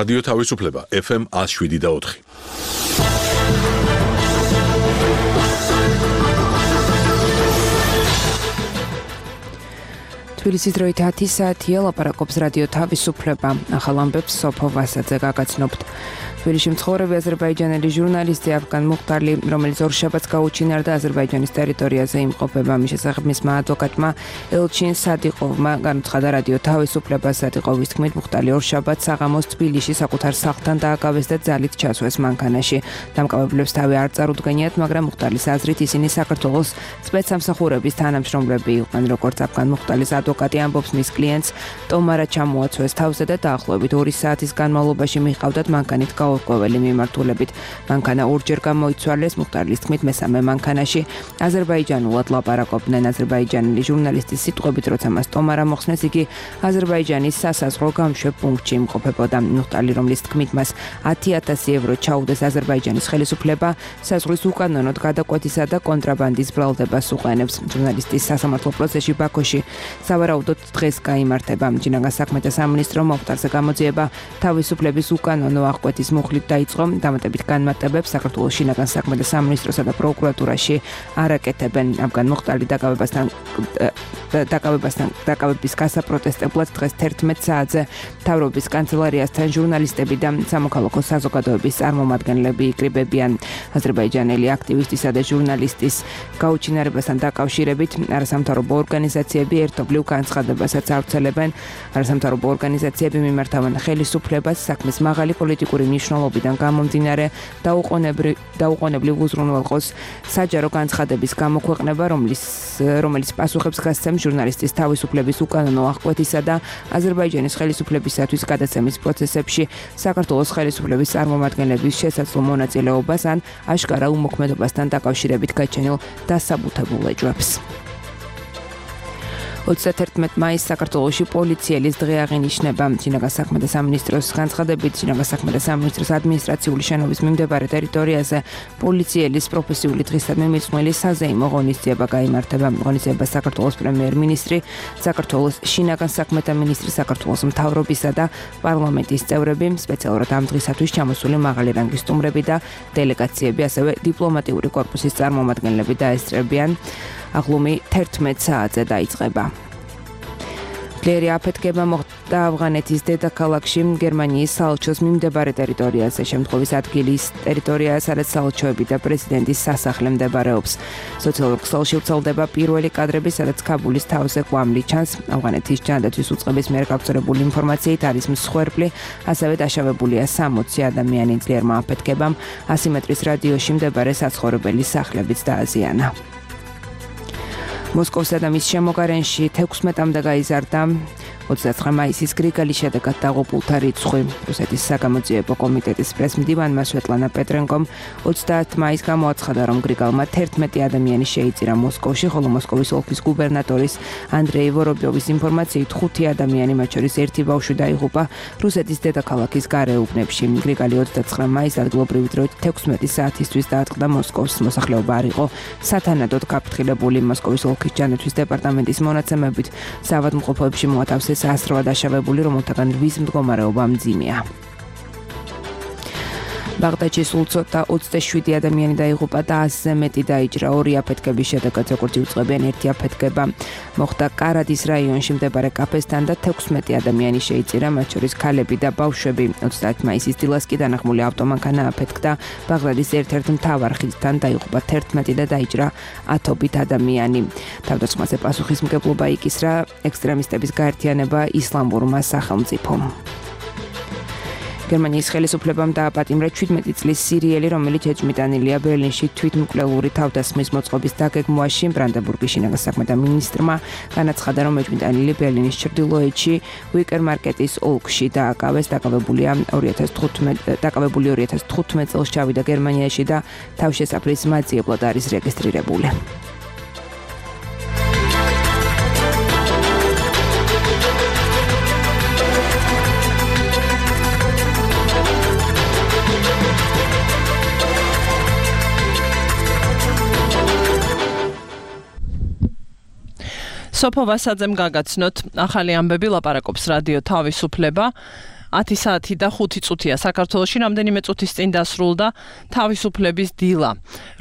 რადიო თავისუფლება FM 107.4. თბილისის დროით 10 საათია, ლაპარაკობს რადიო თავისუფლება. ახალ ამბებს სოფო ვასაძე გაგაცნობთ. თბილისში მცხოვრები აზერბაიჯანელი ჟურნალისტი აფგან მუხტარლი, რომელიც ორშაბათს გაუჩინარდა აზერბაიჯანის ტერიტორიაზე იმყოფება, მის შესახებ მისმა ადვოკატმა ელჩინ სადიყოვმა განუცხადა რადიო თავისუფლებას. სადიყოვის თქმით, მუხტარლი ორშაბათს საღამოს თბილისში საკუთარ სახლთან დააკავეს და ძალით ჩასვეს მანქანაში. დამკავებლებს თავი არ წარუდგენიათ, მაგრამ მუხტარლის აზრით ისინი საქართველოს სპეცსამსახურების თანამშრომლები იყვნენ. როგორც აფგან მუხტარლის ადვოკატი ამბობს, მის კლიენტს ტომარა ჩამოაცვეს თავზე და დაახლოებით 2 საათის განმავლობაში მიჰყავდათ მანქანით გაურკვეველი მიმართულებით. მანქანა ორჯერ გამოიცვალეს, მუხტარლის თქმით, მესამე მანქანაში აზერბაიჯანულად ლაპარაკობდნენ. აზერბაიჯანელი ჟურნალისტის სიტყვებით, როცა მას ტომარა მოხსნეს, იგი აზერბაიჯანის სასაზღვრო გამშვებ პუნქტში იმყოფებოდა. მუხტარლი, რომლის თქმით, მას 10,000 ევრო ჩაუდეს აზერბაიჯანის ხელისუფლება, საზღვრის უკანონოდ გადაკვეთისა და კონტრაბანდის ბრალდებას უყენებს. ჟურნალისტის სასამართლო პროცესში ბაქოში სავარაუდოდ დღეს გაიმართება. შინაგან საქმეთა სამინისტრო მუხტარზე გამოძიება თავისუფლების უკანონო აღკვეთის მუხლით დაიწყო. დამატებით განმარტებებს საქართველოს შინაგან საქმეთა სამინისტროსა და პროკურატურაში არაკეთებენ. აფგან მუხტარლი დაკავების გასაპროტესტებლად დღეს 11 საათზე მთავრობის კანცელარიასთან ჟურნალისტები და სამოქალაქო საზოგადოების წარმომადგენლები იკრიბებიან. აზერბაიჯანელი აქტივისტისა და ჟურნალისტის გაუჩინარებასთან დაკავშირებით არასამთავრობო ორგანიზაციები ერთობლივ განცხადებასაც ავრცელებენ. არასამთავრობო ორგანიზაციები მიმართავენ ხელისუფლებას საქმის მაღალი პოლიტიკური მნიშვნელობიდან გამომდინარე დაუყოვნებლივ უზრუნველყოს საჯარო განცხადების გამოქვეყნება, რომელიც პასუხებს გასცემს ჟურნალისტის თავისუფლების უკანონო აღკვეთისა და აზერბაიჯანის ხელისუფლებისათვის გადაცემის პროცესებში საქართველოს ხელისუფლების წარმომადგენლების შესაძლო მონაწილეობას ან აშკარა უმოქმედობასთან დაკავშირებით გაჩენილ დასაბუთებულ ეჭვებს. 31 მაისს საქართველოში პოლიციელის დღე აღინიშნება. შინაგან საქმეთა სამინისტროს განცხადებით, შინაგან საქმეთა სამინისტროს ადმინისტრაციული შენობის მიმდებარე ტერიტორიაზე პოლიციელის პროფესიული დღისადმი მიძღვნილი საზეიმო ღონისძიება გაიმართება. ღონისძიებას საქართველოს პრემიერ-მინისტრი, საქართველოს შინაგან საქმეთა მინისტრი, საქართველოს მთავრობისა და პარლამენტის წევრები, სპეციალურად ამ დღისათვის ჩამოსული მაღალი რანგის სტუმრები და დელეგაციები, ასევე დიპლომატიური კორპუსის წარმომადგენლები დაესწრებიან. აღლუმი 11 საათზე დაიწყება. ძლიერი აფეთქება მოხდა ავღანეთის დედაქალაქში, გერმანიის საელჩოს მიმდებარე ტერიტორიაზე. შემთხვევის ადგილის ტერიტორია, სადაც საელჩოები და პრეზიდენტის სასახლე მდებარეობს. სოციალურ ქსელში ვრცელდება პირველი კადრები, სადაც ქაბულის თავზე კვამლი ჩანს. ავღანეთის ჯანდაცვის უწყების მიერ გავრცელებული ინფორმაციით არის მსხვერპლი, ასევე დაშავებულია 60 ადამიანი. ძლიერმა აფეთქებამ 100 მეტრის რადიუსში მდებარე საცხოვრებელი სახლებიც დააზიანა. მოსკოვსა და მის შემოგარენში 16-მდე გაიზარდა 29 მაისის გრიგალის შედეგად დაღუპულთა რიცხვი. რუსეთის საგამოძიებო კომიტეტის პრესმდივანმა სვეტლანა პეტრენკომ 30 მაისს გამოაცხადა, რომ გრიგალმა 11 ადამიანი შეიწირა მოსკოვში, ხოლო მოსკოვის ოლქის გუბერნატორის ანდრეი ვორობიოვის ინფორმაციით 5 ადამიანი, მათ შორის 1 ბავშვი დაიღუპა რუსეთის დედაქალაქის გარეუბნებში. გრიგალი 29 მაისს ადგილობრივი დროით 16 საათისთვის დაატყდა მოსკოვს. მოსახლეობა არ იყო სათანადოდ გაფრთხილებული. მოსკოვის ოლქის ჯანდაცვის დეპარტამენტის მონაცემებით საავადმყოფოებში მოათავსეს 100 დაშავებული, რომელთაგან 8 მდგომარეობა მძიმეა. ბაღდადში სულ ცოტა 27 ადამიანი დაიღუპა და 100-ზე მეტი დაიჭრა. 2 აფეთქების შედეგად, როგორც იუწყებიან, 1 აფეთქება მოხდა კარადის რაიონში მდებარე კაფესთან და 16 ადამიანი შეიწირა, მათ შორის ქალები და ბავშვები. 30 მაისის დილას კი დანახმული ავტომანქანა აფეთქდა ბაღდადის ერთ-ერთ მთავარ ხიდთან, დაიღუპა 11 და დაიჭრა 10 ადამიანი. თავდასხმაზე პასუხისმგებლობა იკისრა ექსტრემისტების გაერთიანება ისლამურმა სახელმწიფომ. გერმანიის ხელისუფლებამ დააპატიმრა 17 წლის სირიელი, რომელიც ეჭვმიტანილია ბერლინში თვითმკვლელური თავდასხმის მოწყობის დაგეგმვაში. ბრანდენბურგის შინაგან საქმეთა მინისტრმა განაცხადა, რომ ეჭვმიტანილი ბერლინის ჩრდილოეთში უიკერმარკეტის ოლქში დააკავეს. დაკავებული 2015 წელს ჩავიდა გერმანიაში და თავშესაფრის მაძიებლად არის რეგისტრირებული. სოფო ვასაძემ გაგაცნოთ ახალი ამბები, ლაპარაკობს რადიო თავისუფლება. 10 საათი და 5 წუთია საქართველოში, რამდენიმე წუთის წინ დასრულდა თავისუფლების დილა,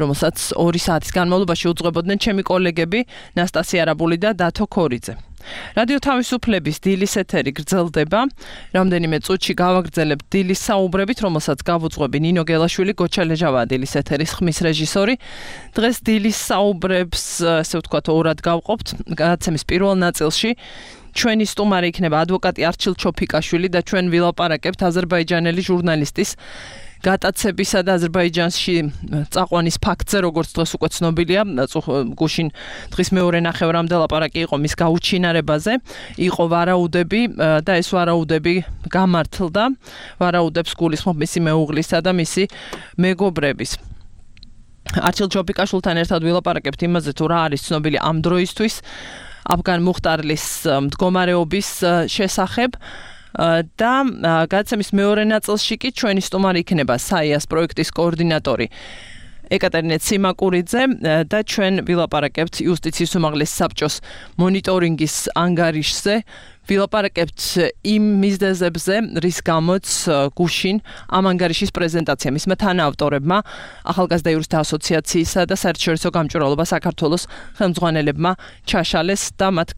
რომელსაც 2 საათის განმავლობაში უძღვებოდნენ ჩემი კოლეგები ნასტასია არაბული და დათო ქორიძე. რადიო თავისუფლების დილის ეთერი გრძელდება. რამდენიმე წუთში გავაგრძელებთ დილის საუბრებით, რომელსაც გავუძღვები ნინო გელაშვილი, გოჩა ლეჟავაა დილის ეთერის ხმის რეჟისორი. დღეს დილის საუბრებს, ასე ვთქვათ, ორად გავყოფთ. გადაცემის პირველ ნაწილში ჩვენი სტუმარი იქნება ადვოკატი არჩილ ჩოფიკაშვილი და ჩვენ ვილაპარაკებთ აზერბაიჯანელი ჟურნალისტის გატაცებისა და აზერბაიჯანში წაყვანის ფაქტზე, როგორც დღეს უკვე ცნობილია, გუშინ დღის მეორე ნახევრამდე ლაპარაკი იყო მის გაუჩინარებაზე, იყო ვარაუდები და ეს ვარაუდები გამართლდა, ვარაუდებს გულისხმობ მისი მეუღლისა და მისი მეგობრების. არჩილ ჩოფიკაშვილთან ერთად ვილაპარაკებთ იმაზე, თუ რა არის ცნობილი ამ დროისთვის აფგან მუხტარლის მდგომარეობის შესახებ. და გადაცემის მეორე ნაწილში კი ჩვენი სტუმარი იქნება საიას პროექტის კოორდინატორი ეკატერინე ციმაკურიძე და ჩვენ ვილაპარაკებთ იუსტიციის უმაღლეს საბჭოს მონიტორინგის ანგარიშზე, ვილაპარაკებთ იმ მიზეზებზე, რის გამოც გუშინ ამ ანგარიშის პრეზენტაცია მისმა თანაავტორებმა, ახალგაზრდა იურისტთა ასოციაციისა და საერთაშორისო გამჭვირვალობა საქართველოს ხელმძღვანელებმა ჩაშალეს და მათ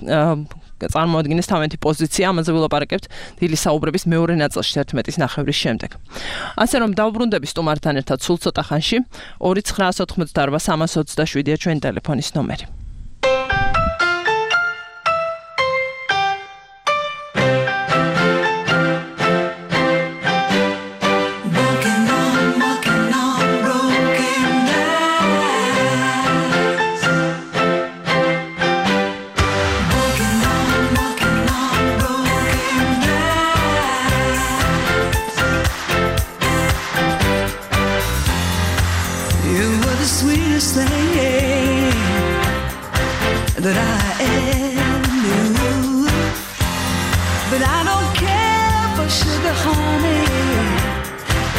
წარმოადგენს თავიანთი პოზიცია, ამაზე ვილაპარაკებთ დილის საუბრების მეორე ნაწილში 11-ის ნახევრის შემდეგ. ასე რომ დავბრუნდები სტუმართან ერთად სულ ცოტა ხანში 2988327-ია ჩვენი ტელეფონის ნომერი. That I ever knew, but I don't care for sugar, honey,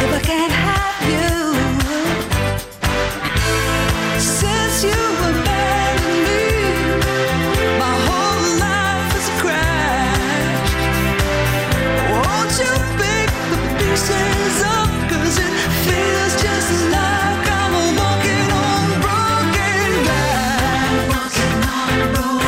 if I can't have you. Since you abandoned me, my whole life is a crash. Won't you pick the pieces up, 'cause it feels just like I'm walking on broken glass. Walking on broken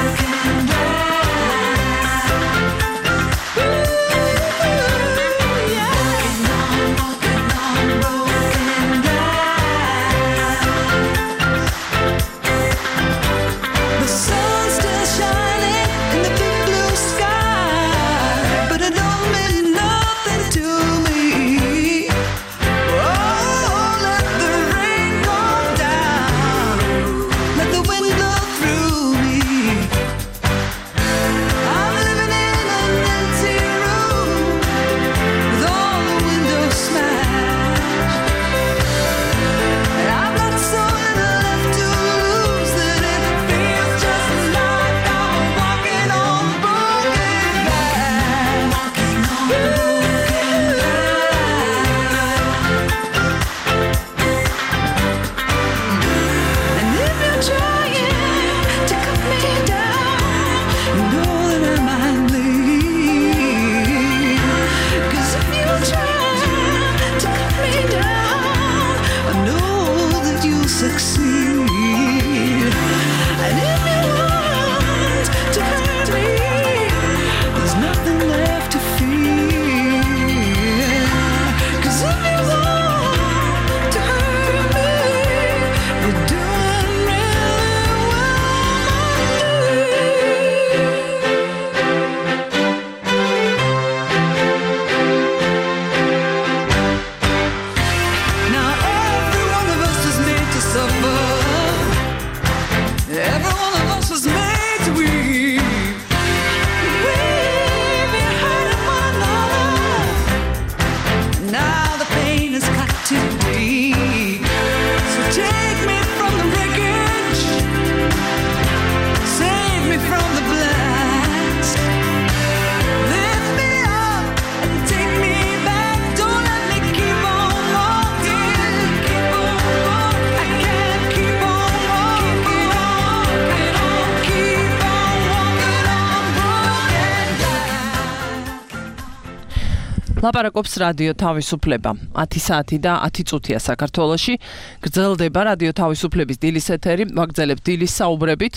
ლაპარაკობს რადიო თავისუფლება 10 საათი და 10 წუთია საქართველოში. გრძელდება რადიო თავისუფლების დილის ეთერი, ვაგრძელებთ დილის საუბრებით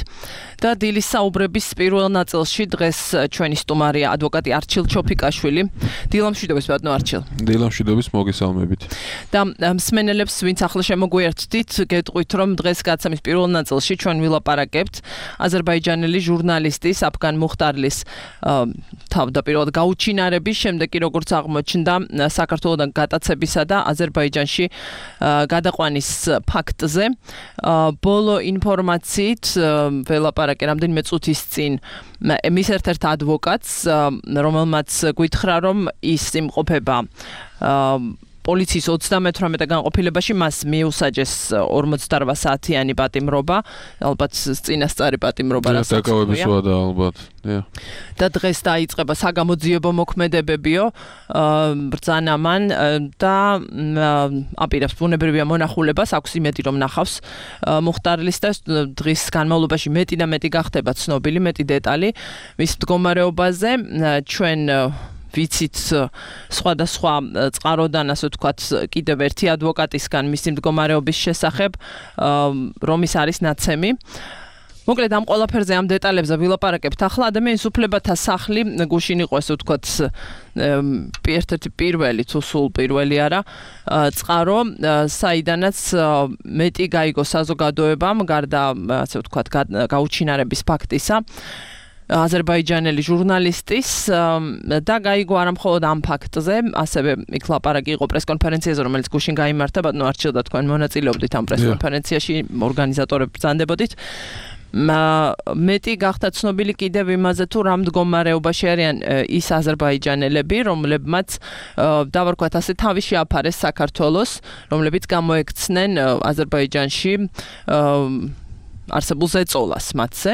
და დილის საუბრების პირველ ნაწილში დღეს ჩვენი სტუმარია ადვოკატი არჩილ ჩოფიკაშვილი. დილამშვიდობის ბატონო არჩილ. დილამშვიდობის მოგესალმებით. და მსმენელებს ვინც ახლა შემოგვიერთდით, გეტყვით რომ დღეს გაცემის პირველ ნაწილში ჩვენ ვილაპარაკებთ აზერბაიჯანელი ჟურნალისტის აფგან მუხტარლის თავდაპირველად გაუჩინარების შემდეგ კი როგორც აღმოჩნდა საქართველოსთან გატაცებისა და აზერბაიჯანში გადაყვანის ფაქტზე. ბოლო ინფორმაციით ველაპარაკე რამდენიმე წუთის წინ მის ერთ-ერთ ადვოკატს, რომელმაც გითხრა რომ ის იმყოფება პოლიციის 38 განყოფილებაში, მას მიუსაჯეს 48 საათიანი პატიმრობა, ალბათ წინასწარი პატიმრობა რასაც დაკავებისაა და ალბათ. და დღეს დაიწყება საგამოძიებო მოქმედებებიო ბრძანა მან და აპირებს ბუნებრივია მონახულებას, აქვს იმედი რომ ნახავს მუხტარლის და დღის განმავლობაში მეტი და მეტი გახდება ცნობილი, მეტი დეტალი მის მდგომარეობაზე. ჩვენ ვიცით სხვადასხვა წყაროდან, ასე ვთქვათ, კიდევ ერთი ადვოკატისგან მისი მდგომარეობის შესახებ, რომ ის არის ნაცემი. მოკლედ ამ ყველაფერზე ამ დეტალებზე ვილაპარაკებთ. ახლა ადამიანის უფლებათა სახლი გუშინ იყო, ასე ვთქვათ, ერთ-ერთი პირველი თუ სულ პირველი არა, წყარო, საიდანაც მეტი გაიგო საზოგადოებამ გარდა, ასე ვთქვათ, გაუჩინარების ფაქტისა. აზერბაიჯანელი ჟურნალისტის და გაიგო არა მხოლოდ ამ ფაქტზე, ასევე იქ ლაპარაკი იყო პრესკონფერენციაზე, რომელიც გუშინ გაიმართა, ბატონო არჩილ და თქვენ მონაწილეობდით ამ პრესკონფერენციაში, ორგანიზატორები ბრძანდებოდით. მეტი გახდა ცნობილი კიდევ იმაზე, თუ რა მდგომარეობაში არიან ის აზერბაიჯანელები, რომლებმაც დავარქვათ ასე თავი შეაფარეს საქართველოს, რომლებიც გამოექცნენ აზერბაიჯანში არსებულ ზეწოლას მათზე.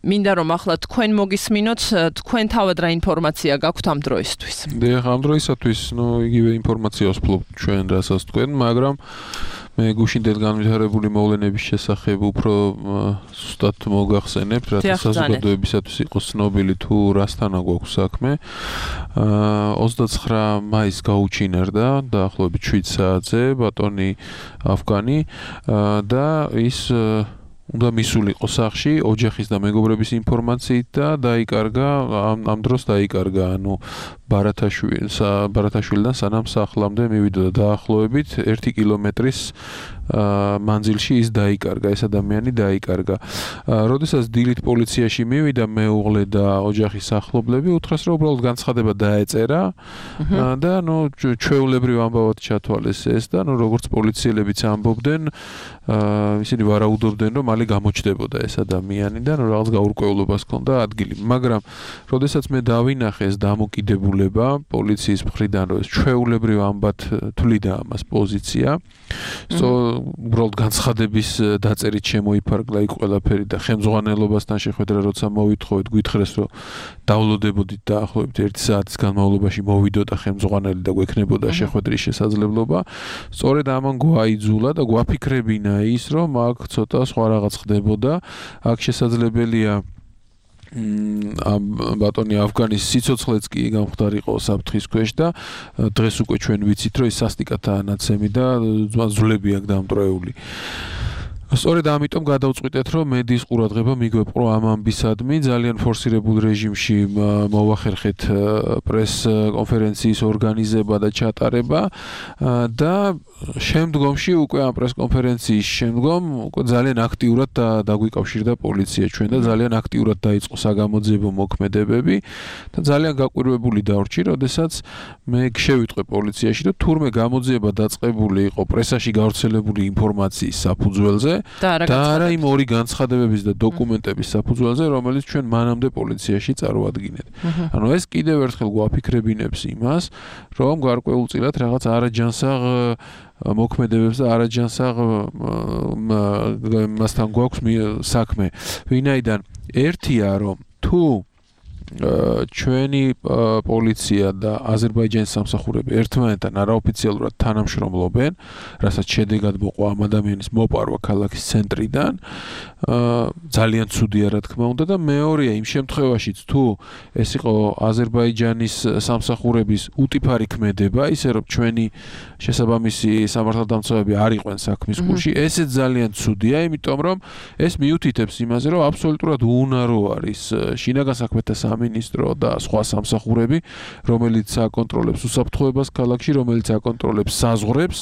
მინდა რომ ახლა თქვენ მოგისმინოთ, თქვენ თავად რა ინფორმაცია გაქვთ ამ დროისთვის? ამ დროისათვის, იგივე ინფორმაციას ვფლობ ჩვენ რასაც თქვენ, მაგრამ მე გუშინდელ განვითარებული მოვლენების შესახებ უფრო ზუსტად მოგახსენებთ, რათა საზოგადოებისათვის იყოს ცნობილი თუ რასთანა გვაქვს საქმე. 29 მაისს გაუჩინარდა დაახლოებით 7 საათზე ბატონი აფგანი და ის უნდა მისულიყო სახლში ოჯახის და მეგობრების ინფორმაციით და დაიკარგა, ამ დროს დაიკარგა, ბარათაშვილიდან სანამ სახლამდე მივიდოდა დაახლოებით 1 კილომეტრის მანძილში ის დაიკარგა, ეს ადამიანი დაიკარგა. როდესაც დილით პოლიციაში მივიდა მეუღლე და ოჯახის ახლობლები, უთხრეს რომ უბრალოდ განცხადება დაეწერა და ჩვეულებრივ ამბავად ჩათვალეს ეს და როგორც პოლიციელებიც ამბობდნენ, ისინი ვარაუდობდნენ რომ მალე გამოჩნდებოდა ეს ადამიანი და რაღაც გაურკვევლობას ჰქონდა ადგილი. მაგრამ როდესაც მე დავინახე ეს დამოკიდებულება პოლიციის მხრიდან, რომ ეს ჩვეულებრივ ამბად თვლიდა ამას პოზიცია, უბრალოდ განცხადების დაწერით შემოიფარგლა იქ ყველაფერი და ხელმძღვანელობასთან შეხვედრა როცა მოვითხოვეთ, გითხრეს რომ დავლოდებოდით დაახლოებით 1 საათის განმავლობაში მოვიდოდა ხელმძღვანელი და გვექნებოდა შეხვედრის შესაძლებლობა. სწორედ ამან გვაიძულა და გვაფიქრებინა ის, რომ აქ ცოტა სხვა რაღაც ხდებოდა. აქ შესაძლებელია ბატონი აფგანის სიცოცხლეც კი გამხდარიყო საფრთხის ქვეშ და დღეს უკვე ჩვენ ვიცით, რომ ის სასტიკათაა ნაცემი და ძვლები აქვს დამტვრეული. სწორედ ამიტომ გადავწყვიტეთ, რომ მედიის ყურადღება მიგვეპყრო ამ ამბისადმი, ძალიან ფორსირებულ რეჟიმში მოვახერხეთ პრესკონფერენციის ორგანიზება და ჩატარება და შემდგომში უკვე ამ პრესკონფერენციის შემდგომ უკვე ძალიან აქტიურად დაგვიკავშირდა პოლიცია ჩვენ და ძალიან აქტიურად დაიწყო საგამოძიებო მოქმედებები და ძალიან გაკვირვებული დავრჩი, როდესაც მე შევიტყვე პოლიციაში, რომ თურმე გამოძიება დაწყებული იყო პრესაში გავრცელებული ინფორმაციის საფუძველზე და არა იმ ორი განცხადებების და დოკუმენტების საფუძველზე, რომელიც ჩვენ მანამდე პოლიციაში წარვადგინეთ. ანუ ეს კიდევ ერთხელ გვაფიქრებინებს იმას, რომ გარკვეულწილად რაღაც არაჯანსაღ მოქმედებებს და არაჯანსაღ მასთან გვაქვს საქმე. ვინაიდან ერთია, რომ თუ ჩვენი პოლიცია და აზერბაიჯანის სამსახურები ერთმანეთთან არაოფიციალურად თანამშრომლობენ, რასაც შედეგად მოყვა ამ ადამიანის მოპარვა ქალაქის ცენტრიდან. ძალიან ცუდია რა თქმა უნდა და მეორეა იმ შემთხვევაშიც თუ ეს იყო აზერბაიჯანის სამსახურების უტიფარი ქმედება, ისე რომ ჩვენი შესაბამისი სამართალდამცავები არ იყვნენ საქმის გულში, ესეც ძალიან ცუდია, იმიტომ რომ ეს მიუთითებს იმაზე, რომ აბსოლუტურად უუნარო არის შინაგან საქმეთა სამინისტრო და სხვა სამსახურები, რომელიც აკონტროლებს უსაფრთხოებას ქალაქში, რომელიც აკონტროლებს საზღვრებს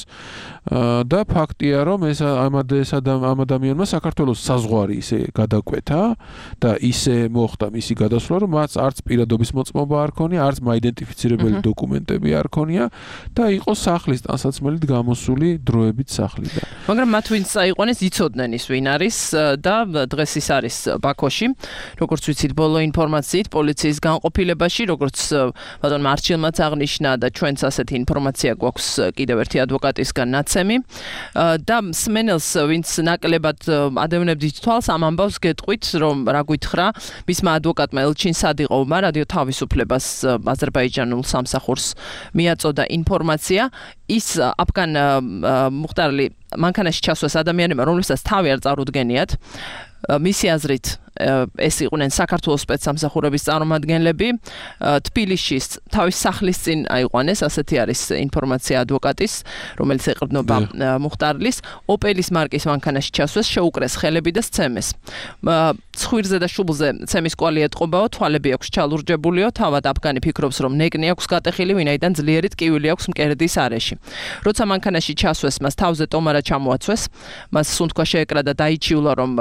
და ფაქტია, რომ ეს ამ ადამიანმა საქართველოს საზღვარი ისე გადაკვეთა და ისე მოხდა მისი გადასვლა, რომ მას არც პირადობის მოწმობა არ ქონია, არც მაიდენტიფიცირებელი დოკუმენტები არ ქონია და იყო სახლის ტანსაცმელით გამოსული დროებით სახლიდან. მაგრამ მათ ვინც აიყვანეს, იცოდნენ ის ვინ არის და დღეს ის არის ბაქოში. როგორც ვიცით, ბოლო ინფორმაციით პოლიციის განყოფილებაში, როგორც ბატონ მარჩილმაც აღნიშნა და ჩვენც ასეთი ინფორმაცია გვაქვს კიდევ ერთი ადვოკატისგან ნაცემი და მსმენელს ვინც ნაკლებად ადევნებდით თვალს ამ ამბავს გეტყვით, რომ რა გითხრა მისმა ადვოკატმა ელჩინ სადიყოვმა რადიო თავისუფლებას აზერბაიჯანულ სამსახურს მიაწოდა ინფორმაცია ის აფგან მუხტარლი მანქანაში ჩასვას ადამიანებმა, რომლებსაც თავი არ წარუდგენიათ, მისი აზრით ეს იყვნენ საქართველოს სპეცსამსახურების წარმომადგენლები, თბილისში თავის სახლის წინ აიყვანეს, ასეთი არის ინფორმაცია ადვოკატის, რომელიც ეყრდნობა მუხტარლის, ოპელის მარკის მანქანაში ჩასვას შეუკრეს ხელები და სცემეს. ცხვირზე და შუბლზე ცემის კვალი ეტყობაო, თვალები აქვს ჩალურჯებულიო, თავად აფგანი ფიქრობს, რომ ნეკნი აქვს გატეხილი, ვინაიდან ძლიერი ტკივილი აქვს მკერდის არეში. როცა მანქანაში ჩასვეს, მას თავზე ტომარა ჩამოაცვეს, მას სუნთქვა შეეკრა და დაიჩიულა, რომ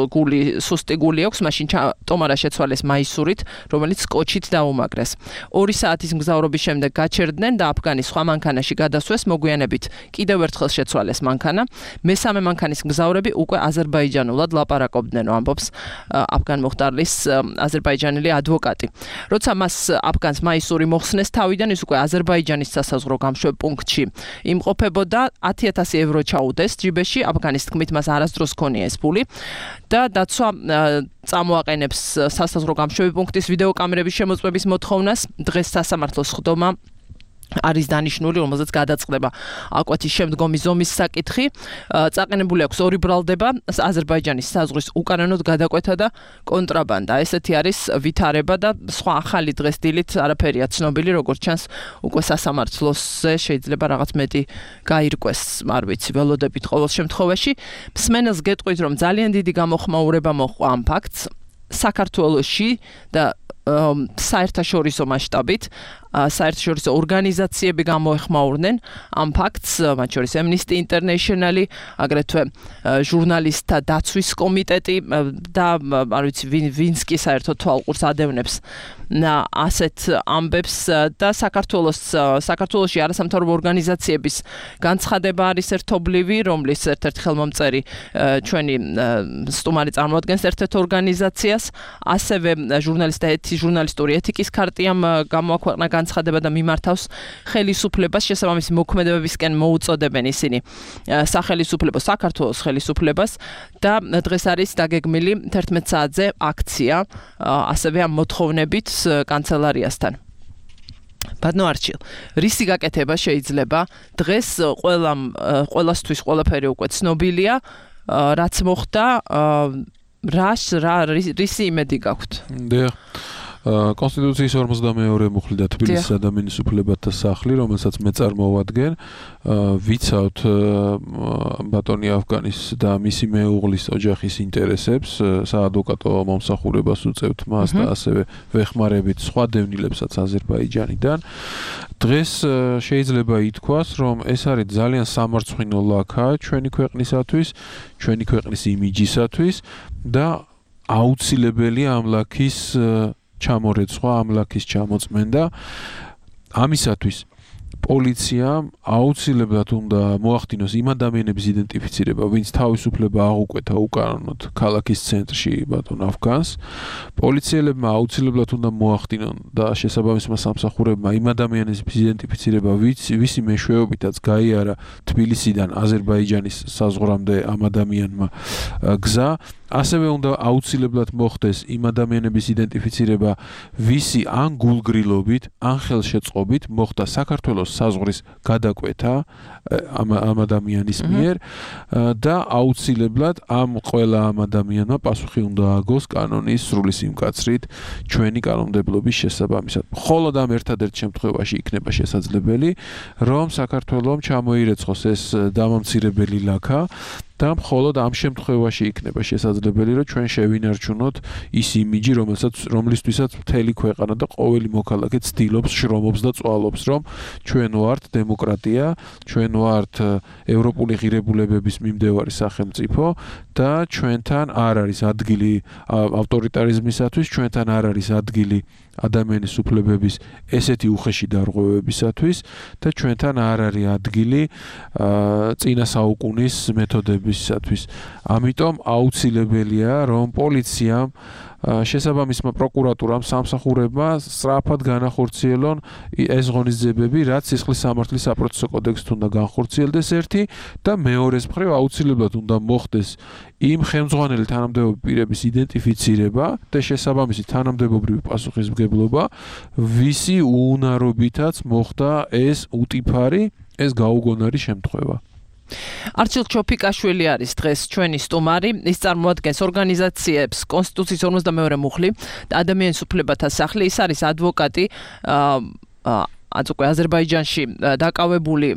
გული სუსტი გული აქვს, მაშინ ტომარა შეცვალეს მაისურით, რომელიც კოჩით დაუმაგრეს. 2 საათის მგზავრობის შემდეგ გაჩერდნენ და აფგანი სხვა მანქანაში გადასვეს, მოგვიანებით კიდევ ერთხელ შეცვალეს მანქანა. მესამე მანქანის მგზავრები უკვე აზერბაიჯანულად ლაპარაკობდნენ, ამბობს აფგან მუხტარლის აზერბაიჯანელი ადვოკატი. როცა მას აფგანს მაისური მოხსნეს თავიდან, ის უკვე აზერბაიჯანის სასაზღვრო გამშვებ პუნქტში იმყოფებოდა, 10,000 ევრო ჩაუდეს ჯიბეში, აფგანის თქმით მას არასდროს ქონია ეს ფული და დაცვა წამოაყენებს სასაზღვრო გამშვები პუნქტის ვიდეოკამერების შემოწმების მოთხოვნას. დღეს სასამართლოს ხდომა არის დანიშნული, რომელზეც გადაწყდება აკვეთის შემდგომი ზომის საკითხი. წაყენებული აქვს 2 ბრალდება, აზერბაიჯანის საზღვრის უკანონოდ გადაკვეთა და კონტრაბანდა. ესეთი არის ვითარება და სხვა ახალი დღეს დილით არაფერია ცნობილი, როგორც ჩანს, უკვე სასამართლოზე შეიძლება რაღაც მეტი გაირკვეს, არ ვიცი, ველოდებით ყოველ შემთხვევაში. მსმენელს გეტყვით, რომ ძალიან დიდი გამოხმაურება მოჰყვა ამ ფაქტს საქართველოში და საერთაშორისო მასშტაბით საერთაშორისო ორგანიზაციები გამოეხმაურნენ ამ ფაქტს, მათ შორის Amnesty International, აგრეთვე ჟურნალისტთა დაცვის კომიტეტი და არ ვიცი ვინც კი საერთოდ თვალყურს ადევნებს ასეთ ამბებს და საქართველოში არასამთავრობო ორგანიზაციების განცხადება არის ერთობლივი, რომლის ერთ-ერთი ხელმომწერი ჩვენი სტუმარი წარმოადგენს ერთ-ერთ ორგანიზაციას, ასევე ჟურნალისტური ეთიკის ქარტიამ გამოაქვეყნა განცხადება და მიმართავს ხელისუფლებას, შესაბამისი მოქმედებებისკენ მოუწოდებენ ისინი სახელისუფლებას, საქართველოს ხელისუფლებას და დღეს არის დაგეგმილი 11 საათზე აქცია, ასევე ამ მოთხოვნებით კანცელარიასთან. ბატონო არჩილ, რისი გაკეთება შეიძლება? დღეს ყველასთვის ყველაფერი უკვე ცნობილია, რაც მოხდა, რისი იმედი გაქვთ? კონსტიტუციის 42 მუხლი და თბილისის ადამიანის უფლებათა სახლი, რომელსაც მე წარმოვადგენ, ვიცავთ ბატონი აფგანის და მისი მეუღლის ოჯახის ინტერესებს, საადვოკატო მომსახურებას უწევთ მას და ასევე ვეხმარებით სხვა დევნილებსაც აზერბაიჯანიდან. დღეს შეიძლება ითქვას, რომ ეს არის ძალიან სამარცხვინო ლაქა ჩვენი ქვეყნისათვის, ჩვენი ქვეყნის იმიჯისათვის და აუცილებელია ამ ლაქის ჩამორეცხვა, ამ ლაქის ჩამოწმენდა. ამისათვის პოლიციამ აუცილებლად უნდა მოახდინოს იმ ადამიანების იდენტიფიცირება, ვინც თავისუფლება აღუკვეთა უკანონოდ ქალაქის ცენტრში ბატონ აფგანს. პოლიციელებმა აუცილებლად უნდა მოახდინონ და შესაბამისმა სამსახურებმა იმ ადამიანების იდენტიფიცირება, ვისი მეშვეობითაც გაიარა თბილისიდან აზერბაიჯანის საზღვრამდე ამ ადამიანმა გზა. ასევე უნდა აუცილებლად მოხდეს იმ ადამიანების იდენტიფიცირება, ვისი ან გულგრილობით, ან ხელშეწყობით მოხდა საქართველოს საზღვრის გადაკვეთა ამ ადამიანის მიერ და აუცილებლად ამ ყველა ამ ადამიანმა პასუხი უნდა ააგოს კანონის სრული სიმკაცრით ჩვენი კანონმდებლობის შესაბამისად. მხოლოდ ამ ერთადერთ შემთხვევაში იქნება შესაძლებელი, რომ საქართველოს ჩამოირეცხოს ეს დამამცირებელი ლაქა და მხოლოდ ამ შემთხვევაში იქნება შესაძლებელი, რომ ჩვენ შევინარჩუნოთ ის იმიჯი, რომლისთვისაც მთელი ქვეყანა და ყოველი მოქალაქე ცდილობს, შრომობს და წვალობს, რომ ჩვენ ვართ დემოკრატია, ჩვენ ვართ ევროპული ღირებულებების მიმდევარი სახელმწიფო და ჩვენთან არ არის ადგილი ავტორიტარიზმისათვის, ჩვენთან არ არის ადგილი ადამიანის უფლებების ესეთი უხეში დარღვევებისათვის და ჩვენთან არ არის ადგილი წინა საუკუნის მეთოდებისათვის. ამიტომ აუცილებელია, რომ პოლიციამ შესაბამისმა პროკურატურამ სამსახურებმა სწრაფად განახორციელონ ეს ღონისძიებები, რაც სისხლის სამართლის საპროცესო კოდექსით უნდა განხორციელდეს ერთი და მეორეს მხრივ აუცილებლად უნდა მოხდეს იმ ხელმძღვანელი თანამდებობრივი პირების იდენტიფიცირება და შესაბამისი თანამდებობრივი პასუხისმგებლობა, ვისი უუნარობითაც მოხდა ეს უტიფარი, ეს გაუგონარი შემთხვევა. არჩილ ჩოფიკაშვილი არის დღეს ჩვენი სტუმარი. ის წარმოადგენს ორგანიზაციებს კონსტიტუციის 52 მუხლი და ადამიანის უფლებათა სახლი. ის არის ადვოკატი უკვე აზერბაიჯანში დაკავებული,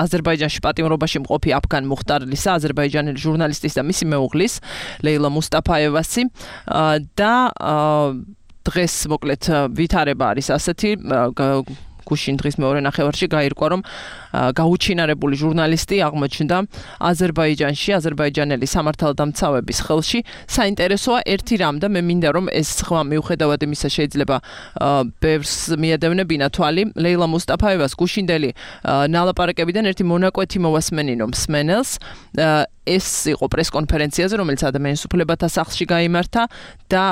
აზერბაიჯანში პატიმრობაში მყოფი აფგან მუხტარლისა, აზერბაიჯანელი ჟურნალისტის და მისი მეუღლის ლეილა მუსტაფაევასი და დღეს მოკლედ ვითარება არის ასეთი გუშინ დღის მეორე ნახევარში გაირკვა, რომ გაუჩინარებული ჟურნალისტი აღმოჩნდა აზერბაიჯანში, აზერბაიჯანელი სამართალდამცავების ხელში. საინტერესოა ერთი რამ და მე მინდა რომ ეს ხმა მიუხედავად იმისა შეიძლება ბევრს მიადევნებინა თვალი. ლეილა მუსტაფაევას გუშინდელი ნალაპარაკებიდან ერთი მონაკვეთი მოვასმენინო მსმენელს. ეს იყო პრესკონფერენციაზე, რომელიც ადამიანის უფლებათა სახლში გაიმართა და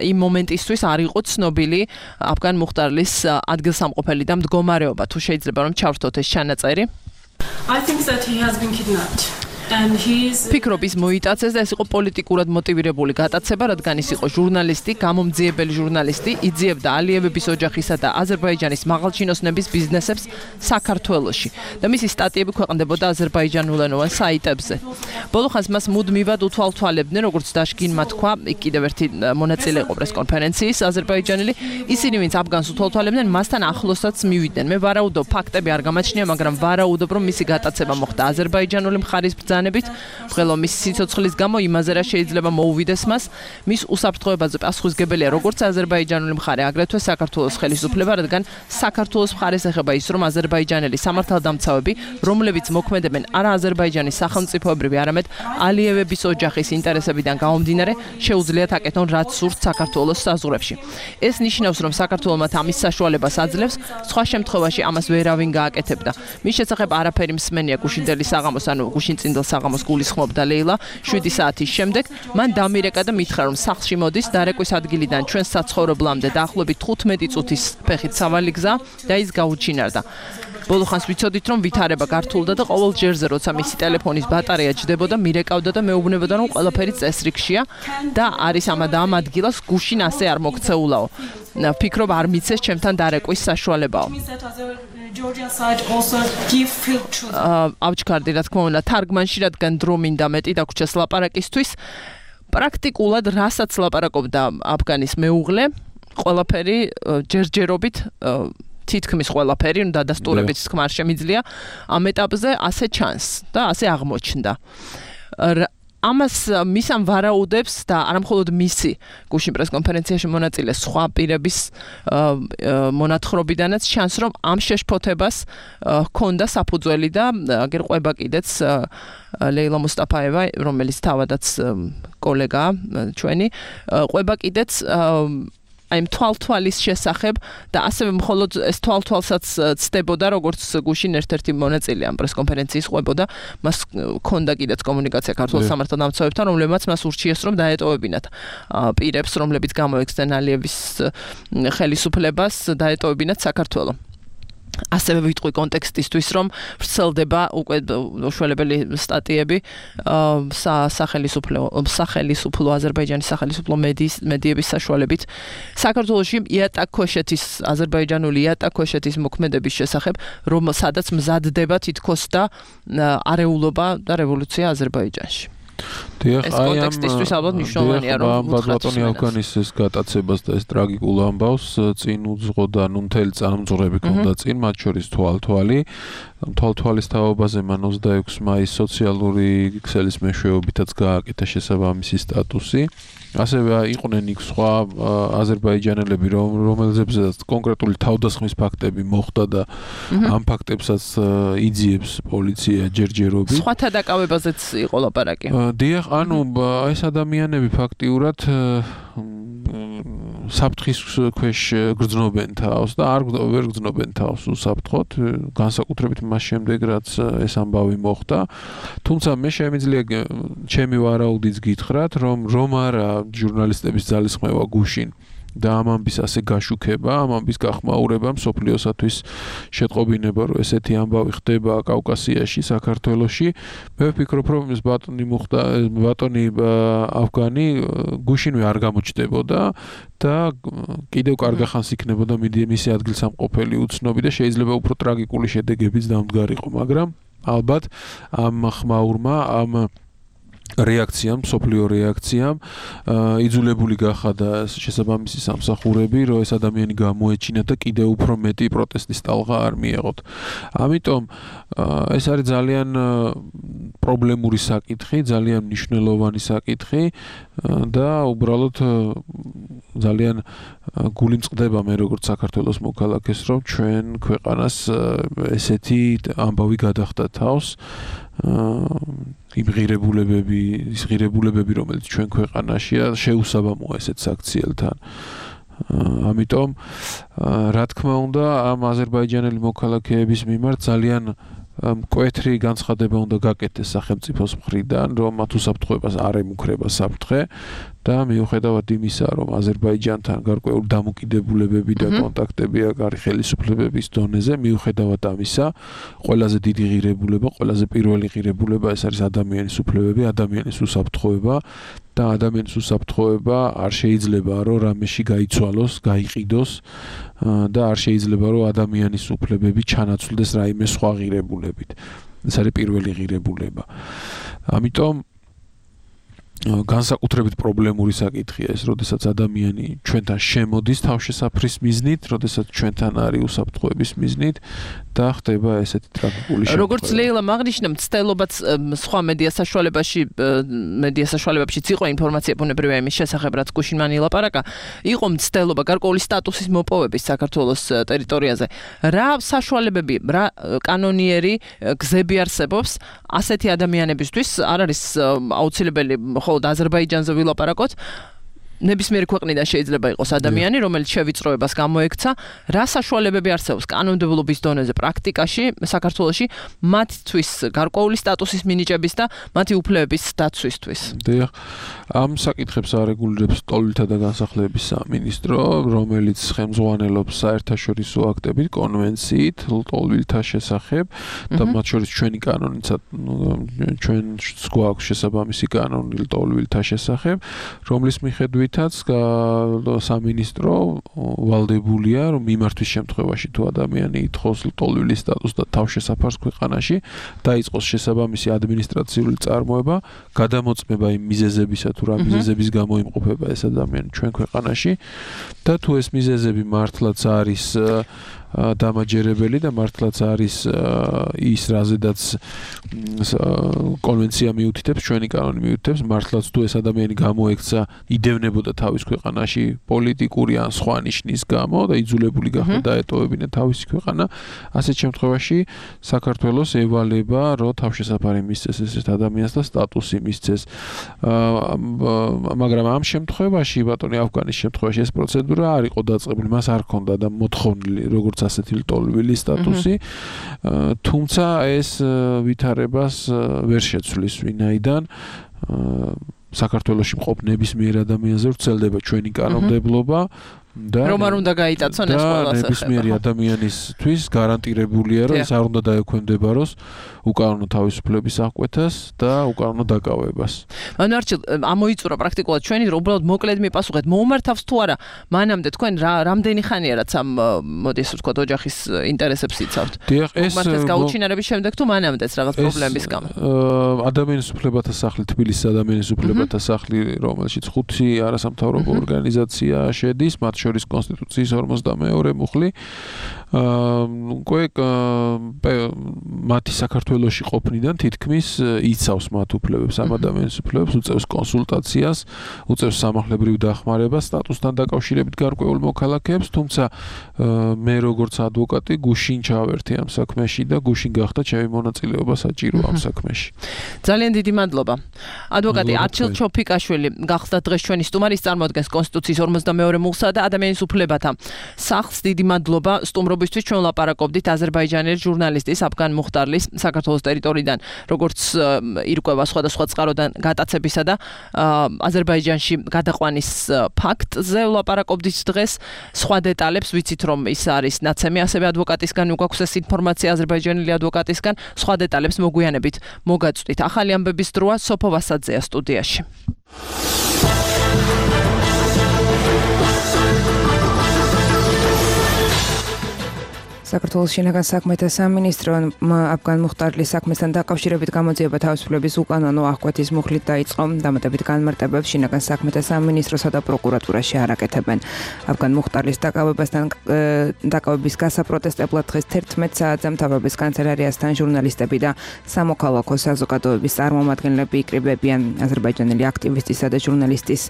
იმ მომენტისთვის არ იყო ცნობილი აფგან მუხტარლის ადგილსამყოფელი და მდგომარეობა. თუ შეიძლება რომ ჩავრთოთ ეს ჩანაწერი. I think that he has been kidnapped. And he is ფიქრობ ის მოიტაცეს და ეს იყო პოლიტიკურად მოტივირებული გატაცება, რადგან ის იყო ჟურნალისტი, გამომძიებელი ჟურნალისტი, იძიებდა ალიევების ოჯახისა და აზერბაიჯანის მაღალჩინოსნების ბიზნესებს საქართველოში და მისი სტატიები ქვეყნდებოდა აზერბაიჯანულენოვან საიტებზე. ბოლოხანს მას მუდმივად უთვალთვალებდნენ, როგორც დაშგინმა თქვა, კიდევ ერთი მონაწილე იყო პრესკონფერენციის აზერბაიჯანელი, ისინი ვინც აფგანს უთვალთვალებდნენ, მასთან ახლოსაც მივიდნენ. მე ვარაუდობ, ფაქტები არ გამაჩნია, მაგრამ ვარაუდობ, რომ მისი გატაცება მოხდა აზერბაიჯანული მხარის მის სიცოცხლის გამო იმაზე რა შეიძლება მოუვიდეს მას, მის უსაფრთხოებაზე პასუხისმგებელია როგორც აზერბაიჯანული მხარე, აგრეთვე საქართველოს ხელისუფლება, რადგან საქართველოს მხარეს ეხება ის, რომ აზერბაიჯანელი სამართალდამცავები, რომლებიც მოქმედებენ არა აზერბაიჯანის სახელმწიფოებრივი, არამედ ალიევების ოჯახის ინტერესებიდან გამომდინარე, შეუძლიათ აკეთონ რაც სურთ საქართველოს საზღვრებში. ეს ნიშნავს, რომ საქართველო მათ ამის საშუალებას აძლევს, სხვა შემთხვევაში ამას ვერავინ გააკეთებდა. მის შესახებ არაფერი მსმენია გუშინდელი საღამოს, ანუ გუშინწინდელ საღამოს გულისხმობდა ლეილა 7 საათის შემდეგ. მან დამირეკა და მითხრა, რომ სახლში მოდის დარეკვის ადგილიდან ჩვენს საცხოვრებლამდე დაახლოებით 15 წუთის ფეხით სავალი გზა და ის გაუჩინარდა. ბოლოხანს ვიცოდით, რომ ვითარება გართულდა და ყოველ ჯერზე, როცა მისი ტელეფონის ბატარეა ჯდებოდა, მირეკავდა და მეუბნებოდა, რომ ყველაფერი წესრიგშია და არის ამ ადგილას გუშინ ასე არ მოქცეულაო. ფიქრობ არ მიცეს ჩემთან დარეკვის საშუალებაო. Georgia side also give field truth. ავჩქარდი რა თქმა უნდა თარგმანში, რადგან დრო მინდა მეტი დაგვრჩეს ლაპარაკისთვის. პრაქტიკულად რასაც ლაპარაკობდა აფგანის მეუღლე, ყველაფერი ჯერჯერობით თითქმის ყველაფერი, ну დადასტურებით თქმა არ შემიძლია, ამ ეტაპზე ასე ჩანს და ასე აღმოჩნდა. ამას მისამ ვარაუდებს და არა მხოლოდ მისი გუშინ პრესკონფერენციაში მონაწილე სხვა პირების მონათხრობიდანაც ჩანს, რომ ამ შეშფოთებას ჰქონდა საფუძველი და აგერ ყვება კიდეც ლეილა მუსტაფაევა, რომელიც თავადაც კოლეგაა ჩვენი, ყვება კიდეც აი თვალთვალის შესახებ და ასევე მხოლოდ ეს თვალთვალსაც ცდებოდა, როგორც გუშინ ერთ-ერთი მონაწილე ამ პრესკონფერენციის ყვებოდა, მას ჰქონდა კიდეც კომუნიკაცია ქართულ სამართალდამცავებთან, რომლებმაც მას ურჩიეს, რომ დაეტოვებინათ პირებს, რომლებიც გამოექცნენ ალიევის ხელისუფლებას, დაეტოვებინათ საქართველო. ასევე ვიტყვი კონტექსტისთვის, რომ ვრცელდება უკვე უშველებელი სტატიები სახელისუფლო აზერბაიჯანის სახელისუფლო მედიების საშუალებით საქართველოში იატაკქვეშეთის აზერბაიჯანული იატაკქვეშეთის მოქმედების შესახებ, რომ სადაც მზადდება თითქოს და არეულობა და რევოლუცია აზერბაიჯანში. ეს კონტექსტისთვის ალბათ მნიშვნელოვანია, რომ ბატონი ავგანის ეს გატაცებას და ეს ტრაგიკულ ამბავს წინ უძღოდა, ნუ მთელი წარმწყრები ქონდა წინ, მათ შორის თვალთვალი. თვალთვალის თაობაზე მან 26 მაისს სოციალური ქსელის მეშვეობითაც გააკეთა შესაბამისი სტატუსი. ასევე იყვნენ იქ სხვა აზერბაიჯანელები, რომელზეც კონკრეტული თავდასხმის ფაქტები მოხდა და ამ ფაქტებსაც იძიებს პოლიცია ჯერჯერობით. სხვათა დაკავებაზეც იყო ლაპარაკი. დიახ, ანუ ეს ადამიანები ფაქტიურად საფრთხის ქვეშ გრძნობენ თავს და ვერ გრძნობენ თავს უსაფრთხოდ, განსაკუთრებით მას შემდეგ, რაც ეს ამბავი მოხდა. თუმცა მე შემიძლია ჩემი ვარაუდიც გითხრათ, რომ არა ჟურნალისტების ძალისხმევა გუშინ და ამ ამბის ასე გაშუქება, ამ ამბის გახმაურება მსოფლიოსათვის შეტყობინება, რომ ესეთი ამბავი ხდება კავკასიაში, საქართველოში. მე ვფიქრობ, რომ ეს ბატონი ავგანი გუშინვე არ გამოჩნდებოდა და კიდევ კარგ ხანს იქნებოდა მისი ადგილსამყოფელი უცნობი და შეიძლება უფრო ტრაგიკული შედეგებიც დამდგარიყო, მაგრამ ალბათ ამ ხმაურმა, ამ რეაქციამ, მსოფლიო რეაქციამ იძულებული გახადა შესაბამისი სამსახურები, რომ ეს ადამიანი გამოეჩინა და კიდევ უფრო მეტი პროტესტის ტალღა არ მიეღოთ. ამიტომ ეს არის ძალიან პრობლემური საკითხი, ძალიან მნიშვნელოვანი საკითხი და უბრალოდ ძალიან გული მწყდება მე როგორც საქართველოს მოქალაქეს, რომ ჩვენ ქვეყანას ესეთი ამბავი გადახდა თავს. იმ ღირებულებები, რომელიც ჩვენ ქვეყანაშია, შეუსაბამოა ესეთ საქციელთან. ამიტომ, რა თქმა უნდა, ამ აზერბაიჯანელი მოქალაქეების მიმართ ძალიან მკვეთრი განცხადება უნდა გაკეთდეს სახელმწიფოს მხრიდან, რომ მათ უსაფრთხოებას არ ემუქრება საფრთხე და მიუხედავად იმისა, რომ აზერბაიჯანთან გარკვეული დამოკიდებულებები და კონტაქტები აქვს ხელისუფლებების დონეზე, მიუხედავად ამისა, ყველაზე დიდი ღირებულება, ყველაზე პირველი ღირებულება ეს არის ადამიანის უფლებები, ადამიანის უსაფრთხოება და ადამიანის უსაფრთხოება არ შეიძლება რომ რამეში გაიცვალოს, გაიყიდოს და არ შეიძლება რომ ადამიანის უფლებები ჩანაცვლდეს რაიმე სხვა ღირებულებით. ეს არის პირველი ღირებულება. ამიტომ განსაკუთრებით პრობლემური საკითხია ეს, როდესაც ადამიანი ჩვენთან შემოდის თავშესაფრის მიზნით, როდესაც ჩვენთან არის უსაფრთხოების მიზნით და ხდება ესეთი ტრაგიკული შემთხვევა. როგორც ლეილა აღნიშნა, მცდელობაც სხვა მედია საშუალებებშიც იყო ინფორმაცია ბუნებრივია იმის შესახებ, რაც გუშინ მან ილაპარაკა, იყო მცდელობა გარკვეული სტატუსის მოპოვების საქართველოს ტერიტორიაზე. რა საშუალებები, რა კანონიერი გზები არსებობს ასეთი ადამიანებისთვის, არ არის აუცილებელი ხოლმე აზერბაიჯანზე ვილაპარაკოთ, ნებისმიერი ქვეყნიდან შეიძლება იყოს ადამიანი, რომელიც შევიწროებას გამოექცა, რა საშუალებები არსებობს კანონმდებლობის დონეზე პრაქტიკაში საქართველოში მათთვის გარკვეული სტატუსის მინიჭების და მათი უფლებების დაცვისთვის. დიახ, ამ საკითხებს არეგულირებს ტოლვილთა და განსახლების სამინისტრო, რომელიც ხელმძღვანელობს საერთაშორისო აქტებით, კონვენციით ტოლვილთა შესახებ და მათ შორის ჩვენი კანონიცაც ჩვენს გვაქვს შესაბამისი კანონი ტოლვილთა შესახებ, რომლის მიხედვით სამინისტრო ვალდებულია, რომ მიმართვის შემთხვევაში თუ ადამიანი ითხოვს ტოლვილის სტატუსს და თავშესაფარს ქვეყანაში, დაიწყოს შესაბამისი ადმინისტრაციული წარმოება, გადამოწმება იმ მიზეზებისა თუ რა მიზეზების გამო იმყოფება ეს ადამიანი ჩვენ ქვეყანაში და თუ ეს მიზეზები მართლაც არის დამაჯერებელი და მართლაც არის ის რაზედაც კონვენცია მიუთითებს, ჩვენი კანონი მიუთითებს, მართლაც თუ ეს ადამიანი გამოექცა იდევნებოდა თავის ქვეყანაში პოლიტიკური ან სხვა ნიშნის გამო და იძულებული გახდა დაეტოვებინა თავისი ქვეყანა, ასეთ შემთხვევაში საქართველოს ევალება, რომ თავშესაფარი მისცეს ესეთ ადამიანს და სტატუსი მისცეს. მაგრამ ამ შემთხვევაში, ბატონი ავგანის შემთხვევაში ეს პროცედურა არ იყო დაწყებული, მას არ ჰქონდა და მოთხოვნილი როგორც ასეთი ტოლვილის სტატუსი, თუმცა ეს ვითარებას ვერ შეცვლის ვინაიდან საქართველოში მყოფ ნებისმიერ ადამიანზე ვრცელდება ჩვენი კანონმდებლობა, რომ არ უნდა გაიტაცონ ეს ყველა და ნებისმიერი ადამიანისთვის გარანტირებულია, რომ ეს არ უნდა დაექვემდებაროს უკანონო თავისუფლების აღკვეთას და უკანონო დაკავებას. ანუ არჩილ ამოიწურა პრაქტიკულად ჩვენი რომ უბრალოდ მოკლედ მიპასუხეთ, მოუმართავს თუ არა, მანამდე თქვენ რამდენი ხანია რაც ამ მოდი ესე ვთქვათ ოჯახის ინტერესებს იცავთ. დიახ, ეს მოუმართეს გაუჩინარების შემდეგ თუ მანამდეც რაღაც პრობლემების გამო. ადამიანის უფლებათა სახლი, თბილისის ადამიანის უფლებათა სახლი, რომელშიც 5 არასამთავრობო ორგანიზაცია შედის, მათ შორის კონსტიტუციის 52 მუხლი. უკვე მათი საქართველოში ყოფნიდან თითქმის იცავს მათ უფლებებს, ამ ადამიანის უფლებებს, უწევს კონსულტაციას, უწევს სამართლებრივ დახმარებას სტატუსთან დაკავშირებით გარკვეულ მოქალაქეებს, თუმცა მე როგორც ადვოკატი გუშინ ჩავერთე ამ საქმეში და გუშინ გახდა ჩემი მონაწილეობა საჭირო ამ საქმეში. ძალიან დიდი მადლობა. ადვოკატი არჩილ ჩოფიკაშვილი გახდა დღეს ჩვენი სტუმარი, წარმოადგენს კონსტიტუციის 52 მუხლსა და ადამიანის უფლებათა სახლს. დიდი მადლობა სტუმრობისთვის. ჩვენ ლაპარაკობდით აზერბაიჯანელი ჟურნალისტის აფგან მუხტარლის საქართველოს ტერიტორიიდან როგორც ირკვევა სხვადასხვა წყაროდან გატაცებისა და აზერბაიჯანში გადაყვანის ფაქტზე ლაპარაკობდით დღეს. სხვა დეტალებს ვიცით რომ ის არის ნაცემი ასევე ადვოკატისგან გვაქვს ეს ინფორმაცია აზერბაიჯანელი ადვოკატისგან. სხვა დეტალებს მოგვიანებით მოგაწვდით. ახალი ამბების დროა სოფო ვასაძეა სტუდიაში. საქართველოს შინაგან საქმეთა სამინისტრო აფგან მუხტარლის საქმესთან დაკავშირებით გამოძიება თავისუფლების უკანონო აღკვეთის მუხლით დაიწყო. დამატებით განმარტებებს შინაგან საქმეთა სამინისტროსა და პროკურატურაში არ აკეთებენ. აფგან მუხტარლის დაკავების გასაპროტესტებლად დღეს 11 საათზე მთავრობის კანცელარიასთან ჟურნალისტები და სამოქალაქო საზოგადოების წარმომადგენლები იკრიბებიან. აზერბაიჯანელი აქტივისტისა და ჟურნალისტის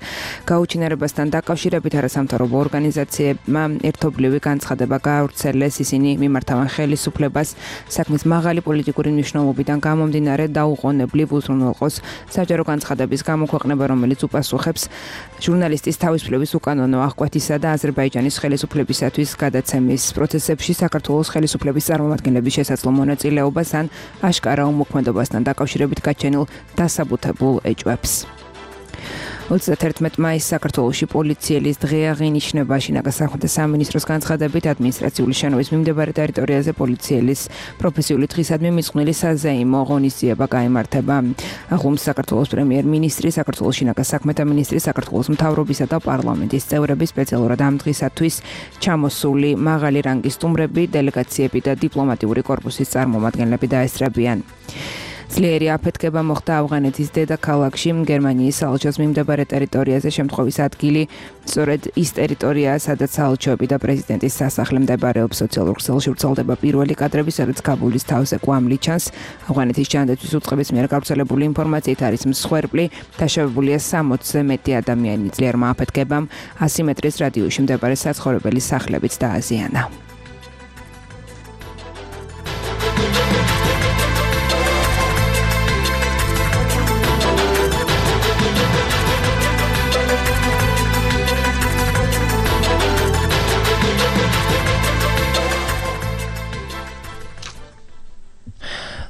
გაუჩინარებასთან დაკავშირებით არასამთავრობო ორგანიზაციებმა ერთობლივი განცხადება გაავრცელეს. ისინი მიმართავენ ხელისუფლებას საქმის მაღალი პოლიტიკური მნიშვნელობიდან გამომდინარე დაუყოვნებლივ უზრუნველყოს საჯარო განცხადების გამოქვეყნება, რომელიც უპასუხებს ჟურნალისტის თავისუფლების უკანონო აღკვეთისა და აზერბაიჯანის ხელისუფლებისათვის გადაცემის პროცესებში საქართველოს ხელისუფლების წარმომადგენლების შესაძლო მონაწილეობას ან აშკარა უმოქმედობასთან დაკავშირებით გაჩენილ დასაბუთებულ ეჭვებს. 31 მაისს საქართველოში პოლიციელის დღე აღინიშნება. შინაგან საქმეთა სამინისტროს განცხადებით ადმინისტრაციული შენობის მიმდებარე ტერიტორიაზე პოლიციელის პროფესიული დღისადმი მიძღვნილი საზეიმო ღონისძიება გაიმართება. აღლუმს საქართველოს პრემიერ-მინისტრი, საქართველოს შინაგან საქმეთა მინისტრი, საქართველოს მთავრობისა და პარლამენტის წევრები, სპეციალურად ამ დღისათვის ჩამოსული მაღალი რანგის სტუმრები, დელეგაციები და დიპლომატიური კორპუსის წარმომადგენლები დაესწრებიან. ძლიერი აფეთქება მოხდა ავღანეთის დედაქალაქში, გერმანიის საელჩოს მიმდებარე ტერიტორიაზე. შემთხვევის ადგილი სწორედ ის ტერიტორიაა, სადაც საელჩოები და პრეზიდენტის სასახლე მდებარეობს. სოციალურ ქსელში ვრცელდება პირველი კადრები, სადაც კაბულის თავზე კვამლი ჩანს. ავღანეთის ჯანდაცვის უწყების მიერ გავრცელებული ინფორმაციით არის მსხვერპლი, დაშავებულია 60-ზე მეტი ადამიანი. ძლიერმა აფეთქებამ 100 მეტრის რადიუსში მდებარე საცხოვრებელი სახლებიც დააზიანა.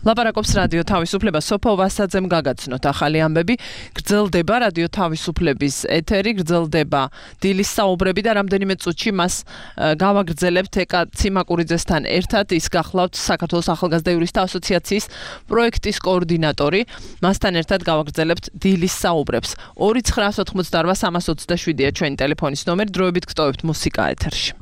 ლაპარაკობს რადიო თავისუფლება სოფო ვასაძემ გაგაცნოთ ახალი ამბები. გრძელდება რადიო თავისუფლების ეთერი, გრძელდება დილის საუბრები და რამდენიმე წუთში მას გავაგრძელებთ ეკა ციმაკურიძესთან ერთად. ის გახლავთ საქართველოს ახალგაზრდა იურისტთა ასოციაციის პროექტის კოორდინატორი. მასთან ერთად გავაგრძელებთ დილის საუბრებს. 2988327-ია ჩვენი ტელეფონის ნომერი. დროებით გტოვებთ მუსიკა ეთერში.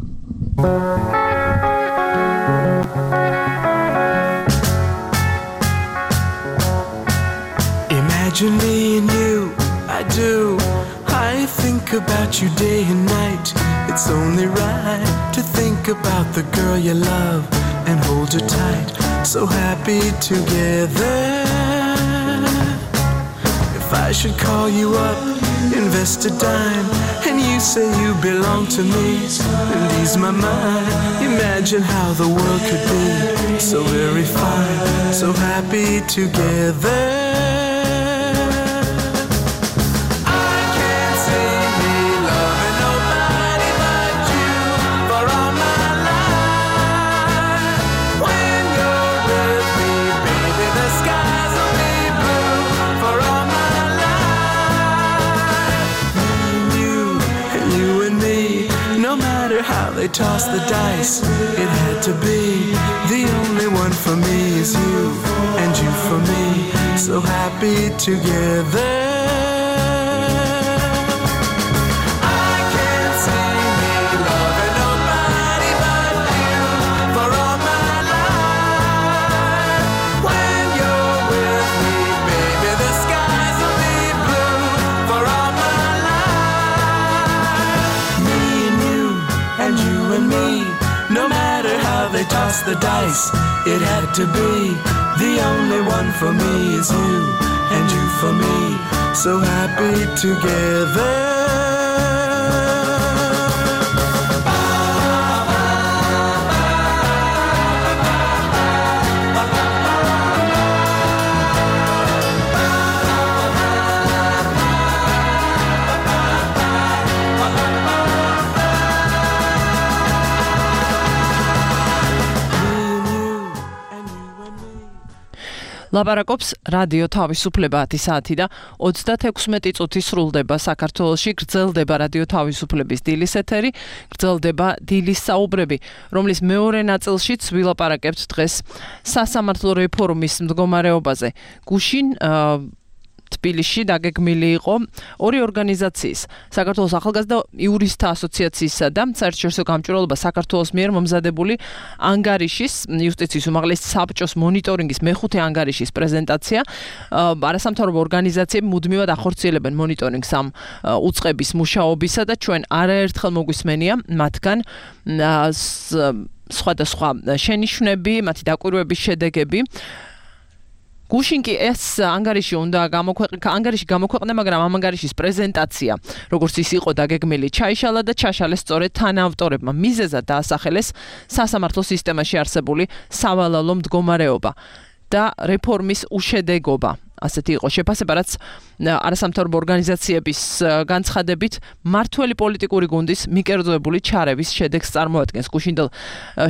Imagine me and you, I do. I think about you day and night. It's only right to think about the girl you love and hold her tight. So happy together. If I should call you up, invest a dime, and you say you belong to me, and ease my mind. Imagine how the world could be so very fine, so happy together. No matter how they toss the dice, it had to be. The only one for me is you, and you for me, so happy together. I can't see me loving nobody but you for all my life. When you're with me, baby, the skies will be blue for all my life. Me and you, and you and me, no matter how they toss the dice, it had to be. The only one for me is you, and you for me, so happy together. ლაპარაკობს რადიო თავისუფლება 10 საათი და 36 წუთი სრულდება საქართველოში. გრძელდება რადიო თავისუფლების დილის ეთერი, გრძელდება დილის საუბრები, რომლის მეორე ნაწილშიც ვილაპარაკებთ დღეს სასამართლო რეფორმის მდგომარეობაზე. გუშინ თბილისში დაგეგმილი იყო ორი ორგანიზაციის, საქართველოს ახალგაზრდა იურისტთა ასოციაციისა და საერთაშორისო გამჭვირვალობა საქართველოს მიერ მომზადებული ანგარიშის, იუსტიციის უმაღლესი საბჭოს მონიტორინგის მეხუთე ანგარიშის პრეზენტაცია. არასამთავრობო ორგანიზაციები მუდმივად ახორციელებენ მონიტორინგს ამ უწყების მუშაობისა და ჩვენ არაერთხელ მოგვისმენია მათგან სხვადასხვა შენიშვნები, მათი დაკვირვების შედეგები. გუშინ კი ეს ანგარიში გამოქვეყნდა, მაგრამ ამ ანგარიშის პრეზენტაცია, როგორც ის იყო დაგეგმილი, ჩაიშალა და ჩაშალეს სწორედ თანაავტორებმა. მიზეზად დაასახელეს სასამართლო სისტემაში არსებული სავალალო მდგომარეობა და რეფორმის უშედეგობა. ასეთი იყო შეფასება, რაც არასამთავრობო ორგანიზაციების განცხადებით მართველი პოლიტიკური გუნდის მიკერძოებული ჩარევის შედეგს წარმოადგენს. გუშინდელ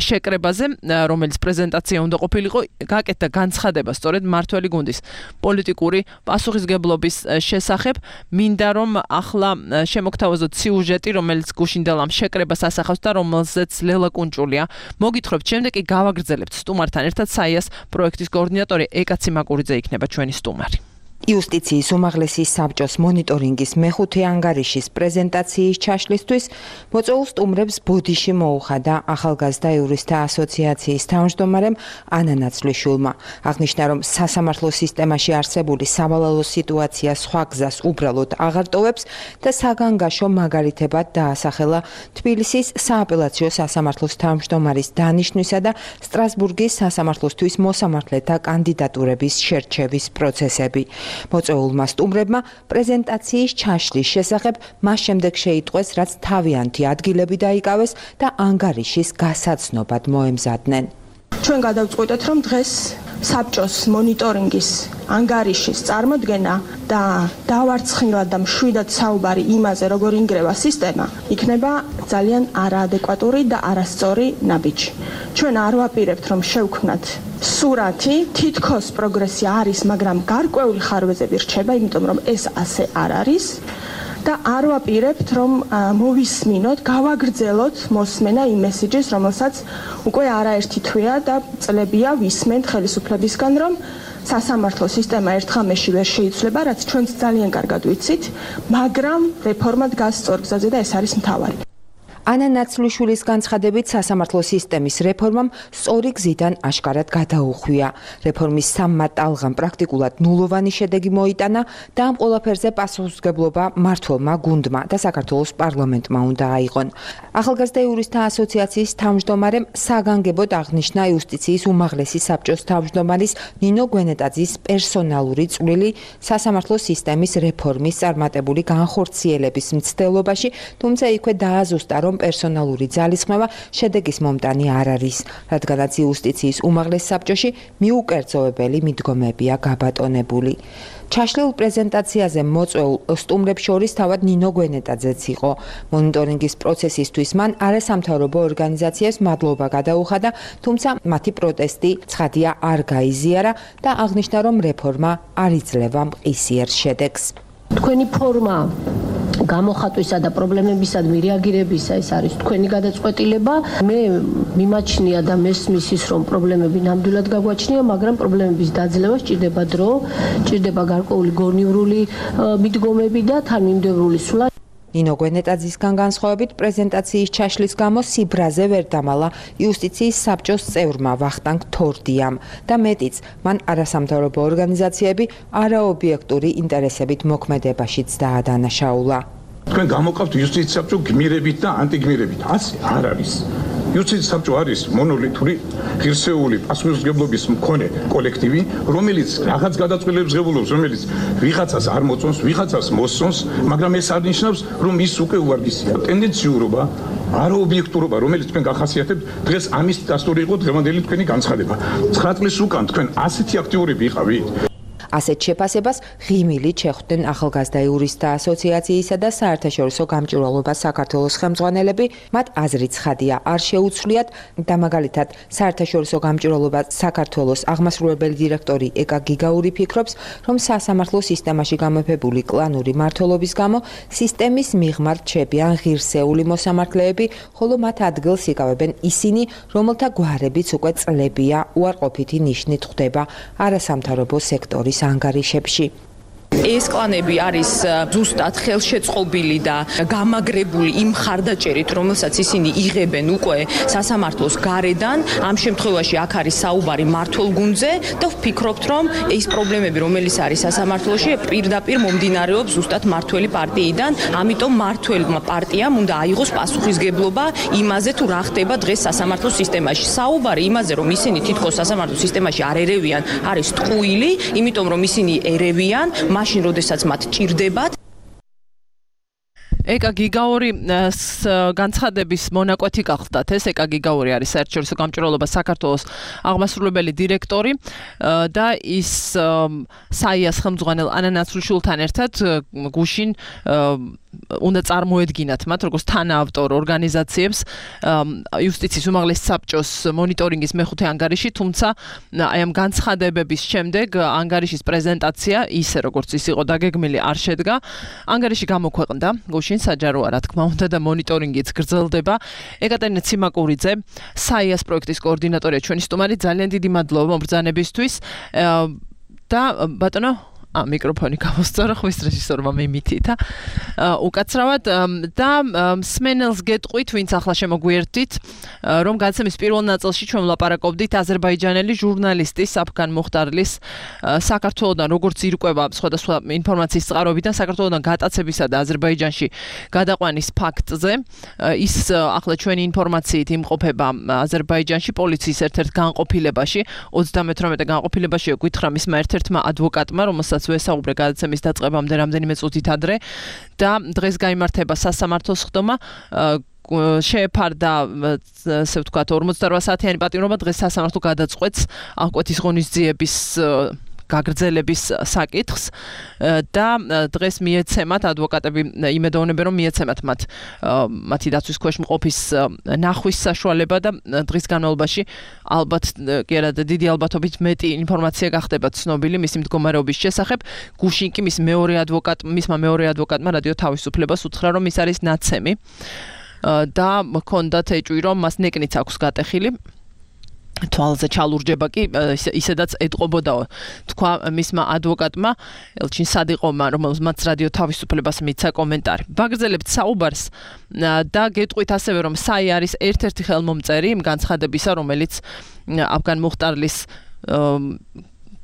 შეკრებაზე, რომელიც პრეზენტაცია უნდა ყოფილიყო, გაკეთდა განცხადება სწორედ მართველი გუნდის პოლიტიკური პასუხისგებლობის შესახებ. მინდა რომ ახლა შემოგთავაზოთ სიუჟეტი, რომელიც გუშინდელ ამ შეკრებას ასახავს და რომელზეც ლელა კუნჭულია. მოგითხრობთ, შემდეგ კი გავაგრძელებთ სტუმართან ერთად. საიას პროექტის კოორდინატორი ეკა ციმაკურიძე იქნება ჩვენი სტუმარი. იუსტიციის უმაღლესი საბჭოს მონიტორინგის მეხუთე ანგარიშის პრეზენტაციის ჩაშლისთვის მოწვეულ სტუმრებს ბოდიში მოუხადა ახალგაზრდა იურისტთა ასოციაციის თავმჯდომარემ ანა ნაცვლიშვილმა. აღნიშნა, რომ სასამართლო სისტემაში არსებული სავალალო სიტუაცია სხვა გზას უბრალოდ აღარ ტოვებს და საგანგაშო მაგალითებად დაასახელა თბილისის სააპელაციო სასამართლოს თავმჯდომარის დანიშვნისა და სტრასბურგის სასამართლოსთვის მოსამართლეთა კანდიდატურების შერჩევის პროცესები. მოწვეულმა სტუმრებმა პრეზენტაციის ჩაშლის შესახებ მას შემდეგ შეიტყვეს, რაც თავიანთი ადგილები დაიკავეს და ანგარიშის გასაცნობად მოემზადნენ. ჩვენ გადავწყვიტეთ, რომ დღეს საბჭოს მონიტორინგის ანგარიშის წარმოდგენა და დავარცხნილად და მშვიდად საუბარი იმაზე, როგორ ინგრევა სისტემა, იქნება ძალიან არაადეკვატური და არასწორი ნაბიჯი. ჩვენ არ ვაპირებთ, რომ შევქმნათ სურათი, თითქოს პროგრესი არის, მაგრამ გარკვეული ხარვეზები რჩება, იმიტომ რომ ეს ასე არ არის. და არ ვაპირებთ, რომ მოვისმინოთ, გავაგრძელოთ მოსმენა იმ მესიჯის, რომელსაც უკვე არაერთი თვეა და წლებია ვისმენთ ხელისუფლებისგან, რომ სასამართლო სისტემა ერთ ღამეში ვერ შეიცვლება, რაც ჩვენც ძალიან კარგად ვიცით, მაგრამ რეფორმა დგას სწორ გზაზე და ეს არის მთავარი. ანა ნაცვლიშვილის განცხადებით სასამართლო სისტემის რეფორმამ სწორი გზიდან აშკარად გადაუხვია. რეფორმის სამმა ტალღამ პრაქტიკულად ნულოვანი შედეგი მოიტანა და ამ ყველაფერზე პასუხისმგებლობა მმართველმა გუნდმა და საქართველოს პარლამენტმა უნდა აიღონ. ახალგაზრდა იურისტთა ასოციაციის თავმჯდომარემ საგანგებოდ აღნიშნა იუსტიციის უმაღლესი საბჭოს თავმჯდომარის ნინო გვენეტაძის პერსონალური წვლილი სასამართლო სისტემის რეფორმის წარმატებული განხორციელების მცდელობაში, თუმცა იქვე დააზუსტა, რომ პერსონალური ძალისხმევა შედეგის მომტანი არ არის, რადგანაც იუსტიციის უმაღლეს საბჭოში მიუკერძოებელი მიდგომებია გაბატონებული. ჩაშლილ პრეზენტაციაზე მოწვეულ სტუმრებს შორის თავად ნინო გვენეტაძეც იყო. მონიტორინგის პროცესისთვის მან არასამთავრობო ორგანიზაციებს მადლობა გადაუხადა, თუმცა მათი პროტესტი ცხადია არ გაიზიარა და აღნიშნა, რომ რეფორმა არ იძლევა მყისიერ შედეგს. თქვენი ფორმა გამოხატვისა და პრობლემებისადმი რეაგირებისა ეს არის თქვენი გადაწყვეტილება. მე მიმაჩნია და მესმის ის რომ პრობლემები ნამდვილად გაგვაჩნია, მაგრამ პრობლემების დაძლევა სჭირდება დრო, სჭირდება გარკვეული გონივრული მიდგომები და თანმიმდევრული სულა. ნინო გვენეტაძისგან განსხვავებით პრეზენტაციის ჩაშლის გამო სიბრაზე ვერ დამალა იუსტიციის საბჭოს წევრმა ვახტანგ თორდიამ და მეტიც, მან არასამთავრობო ორგანიზაციები არაობიექტური ინტერესებით მოქმედებაშიც დაადანაშაულა. თქვენ გამოვყავთ იუსტიციის საბჭო გმირებით და ანტიგმირებით. ასე არ არის. იუსტიციის საბჭო არის მონოლითური, ღირსეული პასუხისმგებლობის მქონე კოლექტივი, რომელიც რაღაც გადაწყვეტილებს ღებულობს, რომელიც ვიღაცას არ მოწონს, ვიღაცას მოსწონს, მაგრამ ეს არ ნიშნავს, რომ ის უკვე უვარგისია. ტენდენციურობა, არაობიექტურობა, რომელიც თქვენ გახასიათებთ, დღეს ამის დასტური იყო დღევანდელი თქვენი განცხადება. 9 წლის უკან თქვენ ასეთი აქტიურები იყავით. ასეთ შეფასებას ღიმილით შეხვდნენ ახალგაზრდა იურისტთა ასოციაციისა და საერთაშორისო გამჭვირვალობა საქართველოს ხელმძღვანელები, მათ აზრი ცხადია, არ შეუცვლიათ და მაგალითად საერთაშორისო გამჭვირვალობა საქართველოს აღმასრულებელი დირექტორი ეკა გიგაური ფიქრობს, რომ სასამართლო სისტემაში გამეფებული კლანური მმართველობის გამო სისტემის მიღმა რჩებიან ღირსეული მოსამართლეები, ხოლო მათ ადგილს იკავებენ ისინი, რომელთა გვარებიც უკვე წლებია უარყოფითი ნიშნით ხვდება არასამთავრობო სექტორის ანგარიშებში. ეს კლანები არის ზუსტად ხელშეწყობილი და გამაგრებული იმ ხარდაჭერით, რომელსაც ისინი იღებენ უკვე სასამართლოს გარედან. ამ შემთხვევაში აქ არის საუბარი მმართველგუნდზე და ვფიქრობთ, რომ ეს პრობლემები, რომელიც არის სასამართლოში, პირდაპირ მომდინარეობს ზუსტად მმართველი პარტიიდან. ამიტომ მმართველმა პარტიამ უნდა აიღოს პასუხისგებლობა იმაზე, თუ რა ხდება დღეს სასამართლო სისტემაში. საუბარი იმაზე, რომ ისინი თითქოს სასამართლო სისტემაში არ ერევიან, არის ტყუილი, იმიტომ რომ ისინი ერევიან მაშინ როდესაც მათ ჭირდებათ. ეკა გიგაური განცხადების მონაკვეთი გახლდათ. ეს ეკა გიგაური არის საერთაშორისო გამჭვირვალობა საქართველოს აღმასრულებელი დირექტორი და ის საიას ხელმძღვანელ ანა ნაცვლიშვილთან ერთად გუშინ უნდა წარმოედგინათ მათ როგორც თანაავტორ ორგანიზაციებს იუსტიციის უმაღლესი საბჭოს მონიტორინგის მეხუთე ანგარიში, თუმცა აი ამ განცხადებების შემდეგ ანგარიშის პრეზენტაცია ისე როგორც ის იყო დაგეგმილი არ შედგა. ანგარიში გამოქვეყნდა გუშინ საჯაროა რა თქმა უნდა და მონიტორინგიც გრძელდება. ეკატერინე ციმაკურიძე, საიას პროექტის კოორდინატორია ჩვენი სტუმარი, ძალიან დიდი მადლობა მომბრძანებისთვის და ბატონო მიკროფონი გავუსწორო ხვის რეჟისორმა მიმითითა უკაცრავად და სმენელს გეტყვით, ვინც ახლა შემოგვიერთდით, რომ გადაცემის პირველ ნაწილში ჩვენ ვლაპარაკობდით აზერბაიჯანელი ჟურნალისტის საფგან მუხტარლის საქართველოსთან როგორც ირკვევა სხვადასხვა ინფორმაციის წყაროებიდან საქართველოსთან გატაცებისა და აზერბაიჯანში გადაყვანის ფაქტზე. ის ახლა ჩვენი ინფორმაციით იმყოფება აზერბაიჯანში პოლიციის ერთ-ერთ განყოფილებაში, 38 განყოფილებაში გითხრა მისმა ერთ-ერთმა ადვოკატმა, რომელსაც ვესაუბრე გადაცემის დაწყებამდე რამდენიმე წუთით ადრე და დღეს გაიმართება სასამართლოს ხდომა შეეფარდა ასე ვთქვათ 48 საათიანი პატიმრობა. დღეს სასამართლო გადაწყვეტს აღკვეთის ღონისძიების გაგრძელების საკითხს და დღეს მიეცემათ ადვოკატები იმედოვნებენ რომ მიეცემათ მათი დაცვის ქვეშ მყოფის ნახვის საშუალება და დღის განმავლობაში ალბათ კი არა დიდი ალბათობით მეტი ინფორმაცია გახდება ცნობილი მისი მდგომარეობის შესახებ. გუშინ კი მისმა მეორე ადვოკატმა რადიო თავისუფლებას უთხრა რომ ის არის ნაცემი და მქონდათ ეჭვი რომ მას ნეკნიც აქვს გატეხილი. თვალზე ჩალურჯება კი ისედაც ეტყობოდაო, თქვა მისმა ადვოკატმა ელჩინ სადიყოვმა, რომელმაც რადიო თავისუფლებას მიცა კომენტარი. ვაგრძელებთ საუბარს და გეტყვით ასევე, რომ საი არის ერთ-ერთი ხელმომწერი იმ განცხადებისა, რომელიც აფგან მუხტარლის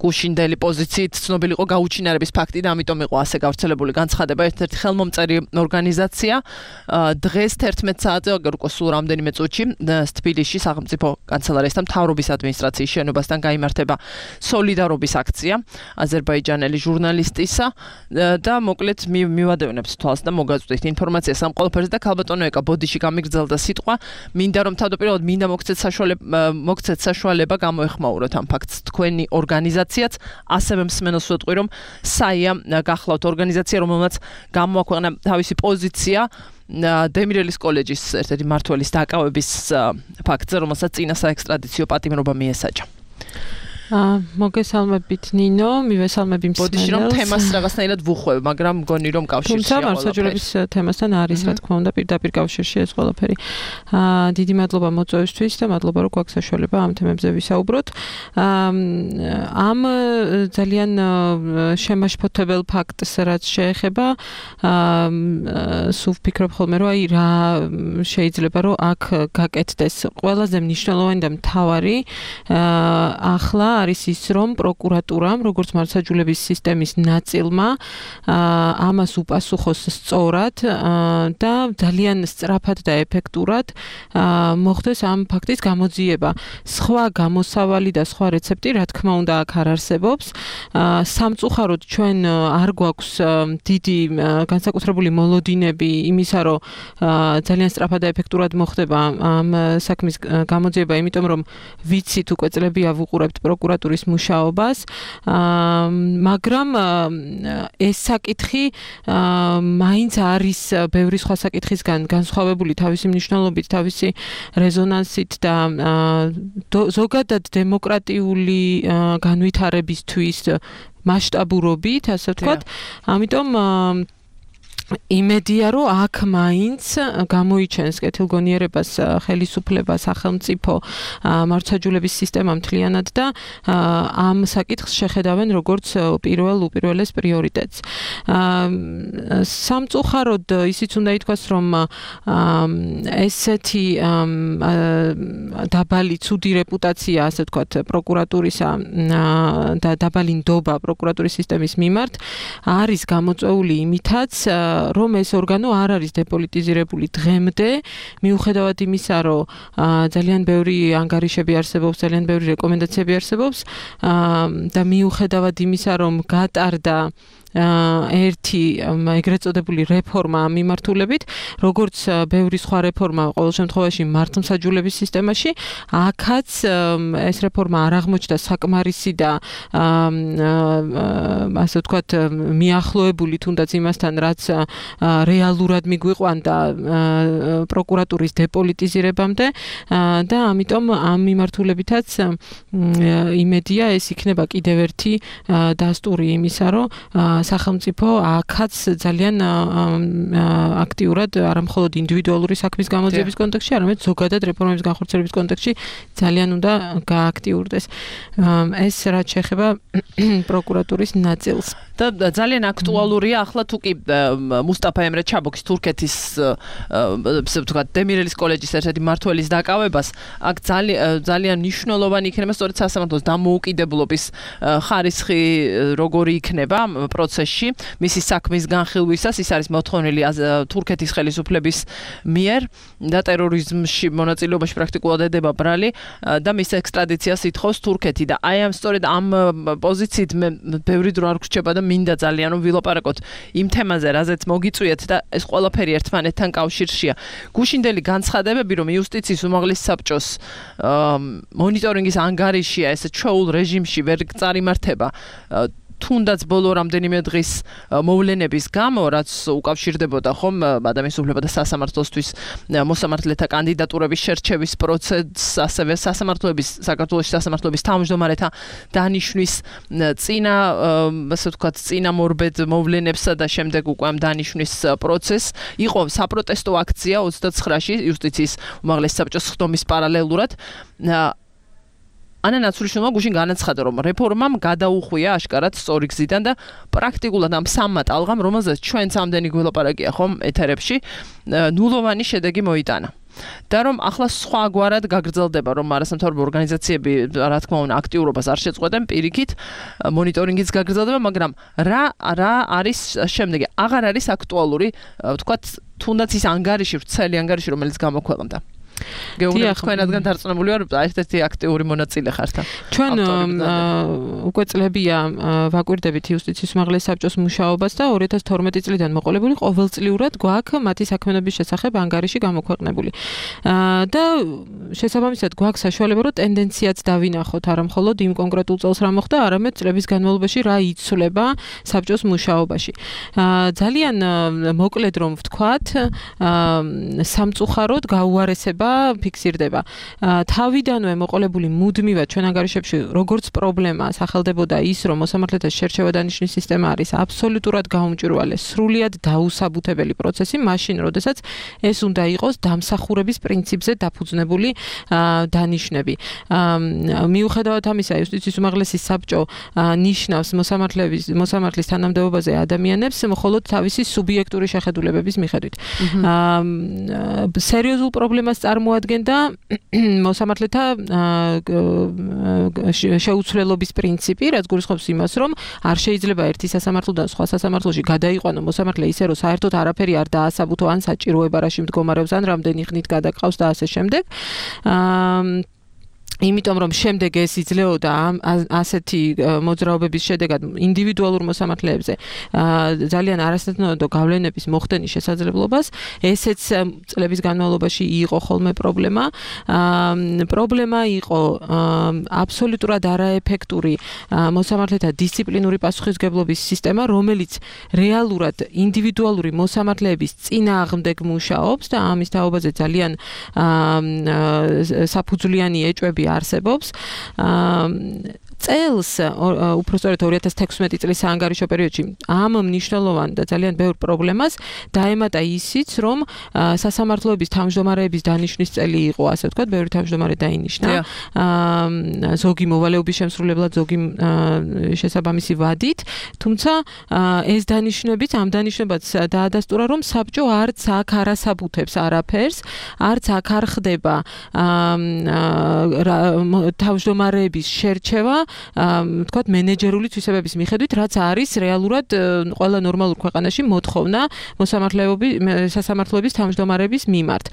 გუშინდელი პოზიციით ცნობილი იყო გაუჩინარების ფაქტი და ამიტომ იყო ასე გავრცელებული განცხადება. ერთ-ერთი ხელმომწერი ორგანიზაცია დღეს 11 საათზე უკვე სულ რამდენიმე წუთში თბილისში სახელმწიფო კანცელარიასთან მთავრობის ადმინისტრაციის შენობასთან გაიმართება სოლიდარობის აქცია აზერბაიჯანელი ჟურნალისტისა და მოკლედ მივადევნებს თვალს და მოგაწვდით ინფორმაციას ამ ყველაფერზე და ქალბატონო ეკა ბოდიში გამიგრძელდა სიტყვა, მინდა რომ თავდაპირველად მინდა მოგცეთ საშუალება გამოეხმაუროთ ამ ფაქტს თქვენი ორგანიზაცია ასევე მსმენელს ვეტყვი, რომ საია გახლავთ ორგანიზაცია, რომელმაც გამოაქვეყნა თავისი პოზიცია დემირელის კოლეჯის ერთ-ერთი მმართველის დაკავების ფაქტზე, რომელსაც წინა საექსტრადიციო პატიმრობა მიესაჯა. მოგესალმებით ნინო, მივესალმები მსმენელს. ბოდიში რომ თემას რაღაცნაირად ვუხვევ, მაგრამ მგონი რომ კავშირშია თუმცა მართლმსაჯულების თემასთან არის რა თქმა უნდა პირდაპირ კავშირში ეს ყველაფერი. დიდი მადლობა მოწვევისთვის და მადლობა რომ გვაქვს საშუალება ამ თემებზე ვისაუბროთ. ამ ძალიან შემაშფოთებელ ფაქტს რაც შეეხება სულ ვფიქრობ ხოლმე რომ აი რა შეიძლება რომ აქ გაკეთდეს ყველაზე მნიშვნელოვანი და მთავარი ახლა არის ის რომ პროკურატურამ როგორც მართლმსაჯულების სისტემის ნაწილმა ამას უპასუხოს სწორად და ძალიან სწრაფად და ეფექტურად მოხდეს ამ ფაქტის გამოძიება. სხვა გამოსავალი და სხვა რეცეპტი რა თქმა უნდა აქ არ არსებობს. სამწუხაროდ ჩვენ არ გვაქვს დიდი განსაკუთრებული მოლოდინები იმისა რომ ძალიან სწრაფად და ეფექტურად მოხდება ამ საქმის გამოძიება, იმიტომ რომ ვიცით უკვე წლებია ვუყურებთ პროკურატურის მუშაობას, მაგრამ ეს საკითხი მაინც არის ბევრი სხვა საკითხისგან განსხვავებული თავისი მნიშვნელობით, თავისი რეზონანსით და ზოგადად დემოკრატიული განვითარებისთვის მასშტაბურობით, ასე ვთქვათ, ამიტომ იმედია რომ აქ მაინც გამოიჩენს კეთილგონიერებას ხელისუფლება სახელმწიფო მართლმსაჯულების სისტემა მთლიანად და ამ საკითხს შეხედავენ როგორც უპირველეს პრიორიტეტს. სამწუხაროდ ისიც უნდა ითქვას რომ ესეთი დაბალი ცუდი რეპუტაცია ასე ვთქვათ პროკურატურისა და დაბალი ნდობა პროკურატურის სისტემის მიმართ არის გამოწვეული იმითაც რომ ეს ორგანო არ არის დეპოლიტიზირებული დღემდე, მიუხედავად იმისა, რომ ძალიან ბევრი ანგარიშები არსებობს, ძალიან ბევრი რეკომენდაციები არსებობს და მიუხედავად იმისა, რომ გატარდა ერთი ეგრეთ წოდებული რეფორმა მიმართულებით, როგორც ბევრი სხვა რეფორმა ყოველ შემთხვევაში მართლმსაჯულების სისტემაში, აქაც ეს რეფორმა არ აღმოჩნდა საკმარისი და ასე ვთქვათ მიახლოებული თუნდაც იმასთან, რაც რეალურად მიგვიყვანდა პროკურატურის დეპოლიტიზირებამდე და ამიტომ ამ მიმართულებითაც იმედია ეს იქნება კიდევ ერთი დასტური იმისა, რომ სახელმწიფო აქაც ძალიან აქტიურად არა მხოლოდ ინდივიდუალური საქმის გამოძიების კონტექსტში, არამედ ზოგადად რეფორმების განხორციელების კონტექსტში ძალიან უნდა გააქტიურდეს. ეს რაც შეეხება პროკურატურის ნაწილს. და ძალიან აქტუალურია ახლა თუ კი მუსტაფა ემრე ჩაბოქის თურქეთის ვთქვათ დემირელის კოლეჯის ერთ-ერთი მმართველის დაკავებას, აქ ძალიან მნიშვნელოვანი იქნება სწორედ სასამართლოს დამოუკიდებლობის ხარისხი როგორი იქნება პროცესში, მისი საქმის განხილვისას, ის არის მოთხოვნილი თურქეთის ხელისუფლების მიერ და ტერორიზმში მონაწილეობაში პრაქტიკულად ედება ბრალი და მის ექსტრადიციას ითხოვს თურქეთი და აი ამ სწორედ ამ პოზიციით მე ბევრი დრო არ გრჩება და მინდა ძალიან რომ ვილაპარაკოთ იმ თემაზე, რაზეც მოგიწვიეთ და ეს ყველაფერი ერთმანეთთან კავშირშია. გუშინდელი განცხადებები, რომ იუსტიციის უმაღლეს საბჭოს მონიტორინგის ანგარიშია ეს ჩვეულ რეჟიმში ვერ წარიმართება თუნდაც ბოლო რამდენიმე დღის მოვლენების გამო, რაც უკავშირდებოდა ხომ ადამიანის უფლებათა და სასამართლოსთვის მოსამართლეთა კანდიდატურების შერჩევის პროცესს, ასევე საქართველოს სასამართლოების თავმჯდომარეთა დანიშვნის წინა, ასე ვთქვათ, წინამორბედ მოვლენებსა და შემდეგ უკვე ამ დანიშვნის პროცესს, იყო საპროტესტო აქცია 29-ში იუსტიციის უმაღლეს საბჭოს ხდომის პარალელურად. ანა ნაცვლიშვილმა გუშინ განაცხადა, რომ რეფორმამ გადაუხვია აშკარად სწორი გზიდან და პრაქტიკულად ამ სამმა ტალღამ, რომელზეც ჩვენც ამდენი გველაპარაკია ხომ ეთერებში, ნულოვანი შედეგი მოიტანა. და რომ ახლა სხვაგვარად გაგრძელდება, რომ არასამთავრობო ორგანიზაციები რა თქმა უნდა აქტიურობას არ შეწყვეტენ, პირიქით მონიტორინგიც გაგრძელდება, მაგრამ რა არის შემდეგი? აღარ არის აქტუალური, ვთქვათ, თუნდაც ის ანგარიში, ვრცელი ანგარიში, რომელიც გამოქვეყნდა. გეუბნები თქვენ რადგან დარწმუნებული ვარ, ერთ-ერთი აქტიური მონაწილე ხართ. ჩვენ უკვე წლებია ვაკვირდებით იუსტიციის უმაღლეს საბჭოს მუშაობას და 2012 წლიდან მოყოლებული ყოველწლიურად გვაქვს მათი საქმიანობის შესახებ ანგარიში გამოქვეყნებული. და შესაბამისად გვაქვს საშუალება, რომ ტენდენციაც დავინახოთ, არა მხოლოდ იმ კონკრეტულ წელს რა მოხდა, არამედ წლების განმავლობაში რა იცვლება საბჭოს მუშაობაში. ძალიან მოკლედ რომ ვთქვათ, სამწუხაროდ გაუარესება ფიქსირდება. თავიდანვე მოყოლებული მუდმივად ჩვენ ანგარიშებში როგორც პრობლემა სახელდებოდა ის, რომ მოსამართლეთა შერჩევა დანიშნვის სისტემა არის აბსოლუტურად გაუმჭვირვალე, სრულიად დაუსაბუთებელი პროცესი, მაშინ, როდესაც ეს უნდა იყოს დამსახურების პრინციპზე დაფუძნებული დანიშნები. მიუხედავად ამისა, იუსტიციის უმაღლესი საბჭო ნიშნავს მოსამართლის თანამდებობაზე ადამიანებს მხოლოდ თავისი სუბიექტური შეხედულებების მიხედვით. სერიოზულ პრობლემას წარმოადგენდა მოსამართლეთა შეუცვლელობის პრინციპი, რაც გულისხმობს იმას, რომ არ შეიძლება ერთი სასამართლოდან სხვა სასამართლოში გადაიყვანო მოსამართლე ისე, რომ საერთოდ არაფერი არ დაასაბუთო ან საჭიროება რაში მდგომარეობს ან რამდენი ხნით გადაყავს და ასე შემდეგ. იმიტომ რომ შემდეგ ეს იძლეოდა ასეთი მოძრაობების შედეგად ინდივიდუალურ მოსამართლეებზე ძალიან არასათანადო გავლენების მოხდენის შესაძლებლობას, ესეც წლების განმავლობაში იყო ხოლმე პრობლემა. პრობლემა იყო აბსოლუტურად არაეფექტური მოსამართლეთა დისციპლინური პასუხისმგებლობის სისტემა, რომელიც რეალურად ინდივიდუალური მოსამართლეების წინააღმდეგ მუშაობს და ამის თაობაზე ძალიან საფუძვლიანი ეჭვები არსებობს. წელს, უпростоრეთ 2016 წლის საანგარიშო პერიოდში ამ მნიშვნელოვან და ძალიან ბევრ პრობლემას დაემატა ისიც, რომ სასამართლოების თავმჯდომარეების დანიშვნის წელი იყო, ასე ვთქვათ, ბევრი თავმჯდომარე დაინიშნა. ზოგი მოვალეობის შემსრულებლად, ზოგი შესაბამისი ვადით, თუმცა ეს დანიშვნებიც ამ დანიშნებაც დაადასტურა, რომ საბჭო არც აქ არასაბუთებს არაფერს, არც აქ არ ხდება თავმჯდომარეების შერჩევა თქვათ მენეჯერული თვისებების მიხედვით, რაც არის რეალურად ყველა ნორმალურ ქვეყანაში მოთხოვნა სასამართლოების თავმჯდომარეების მიმართ.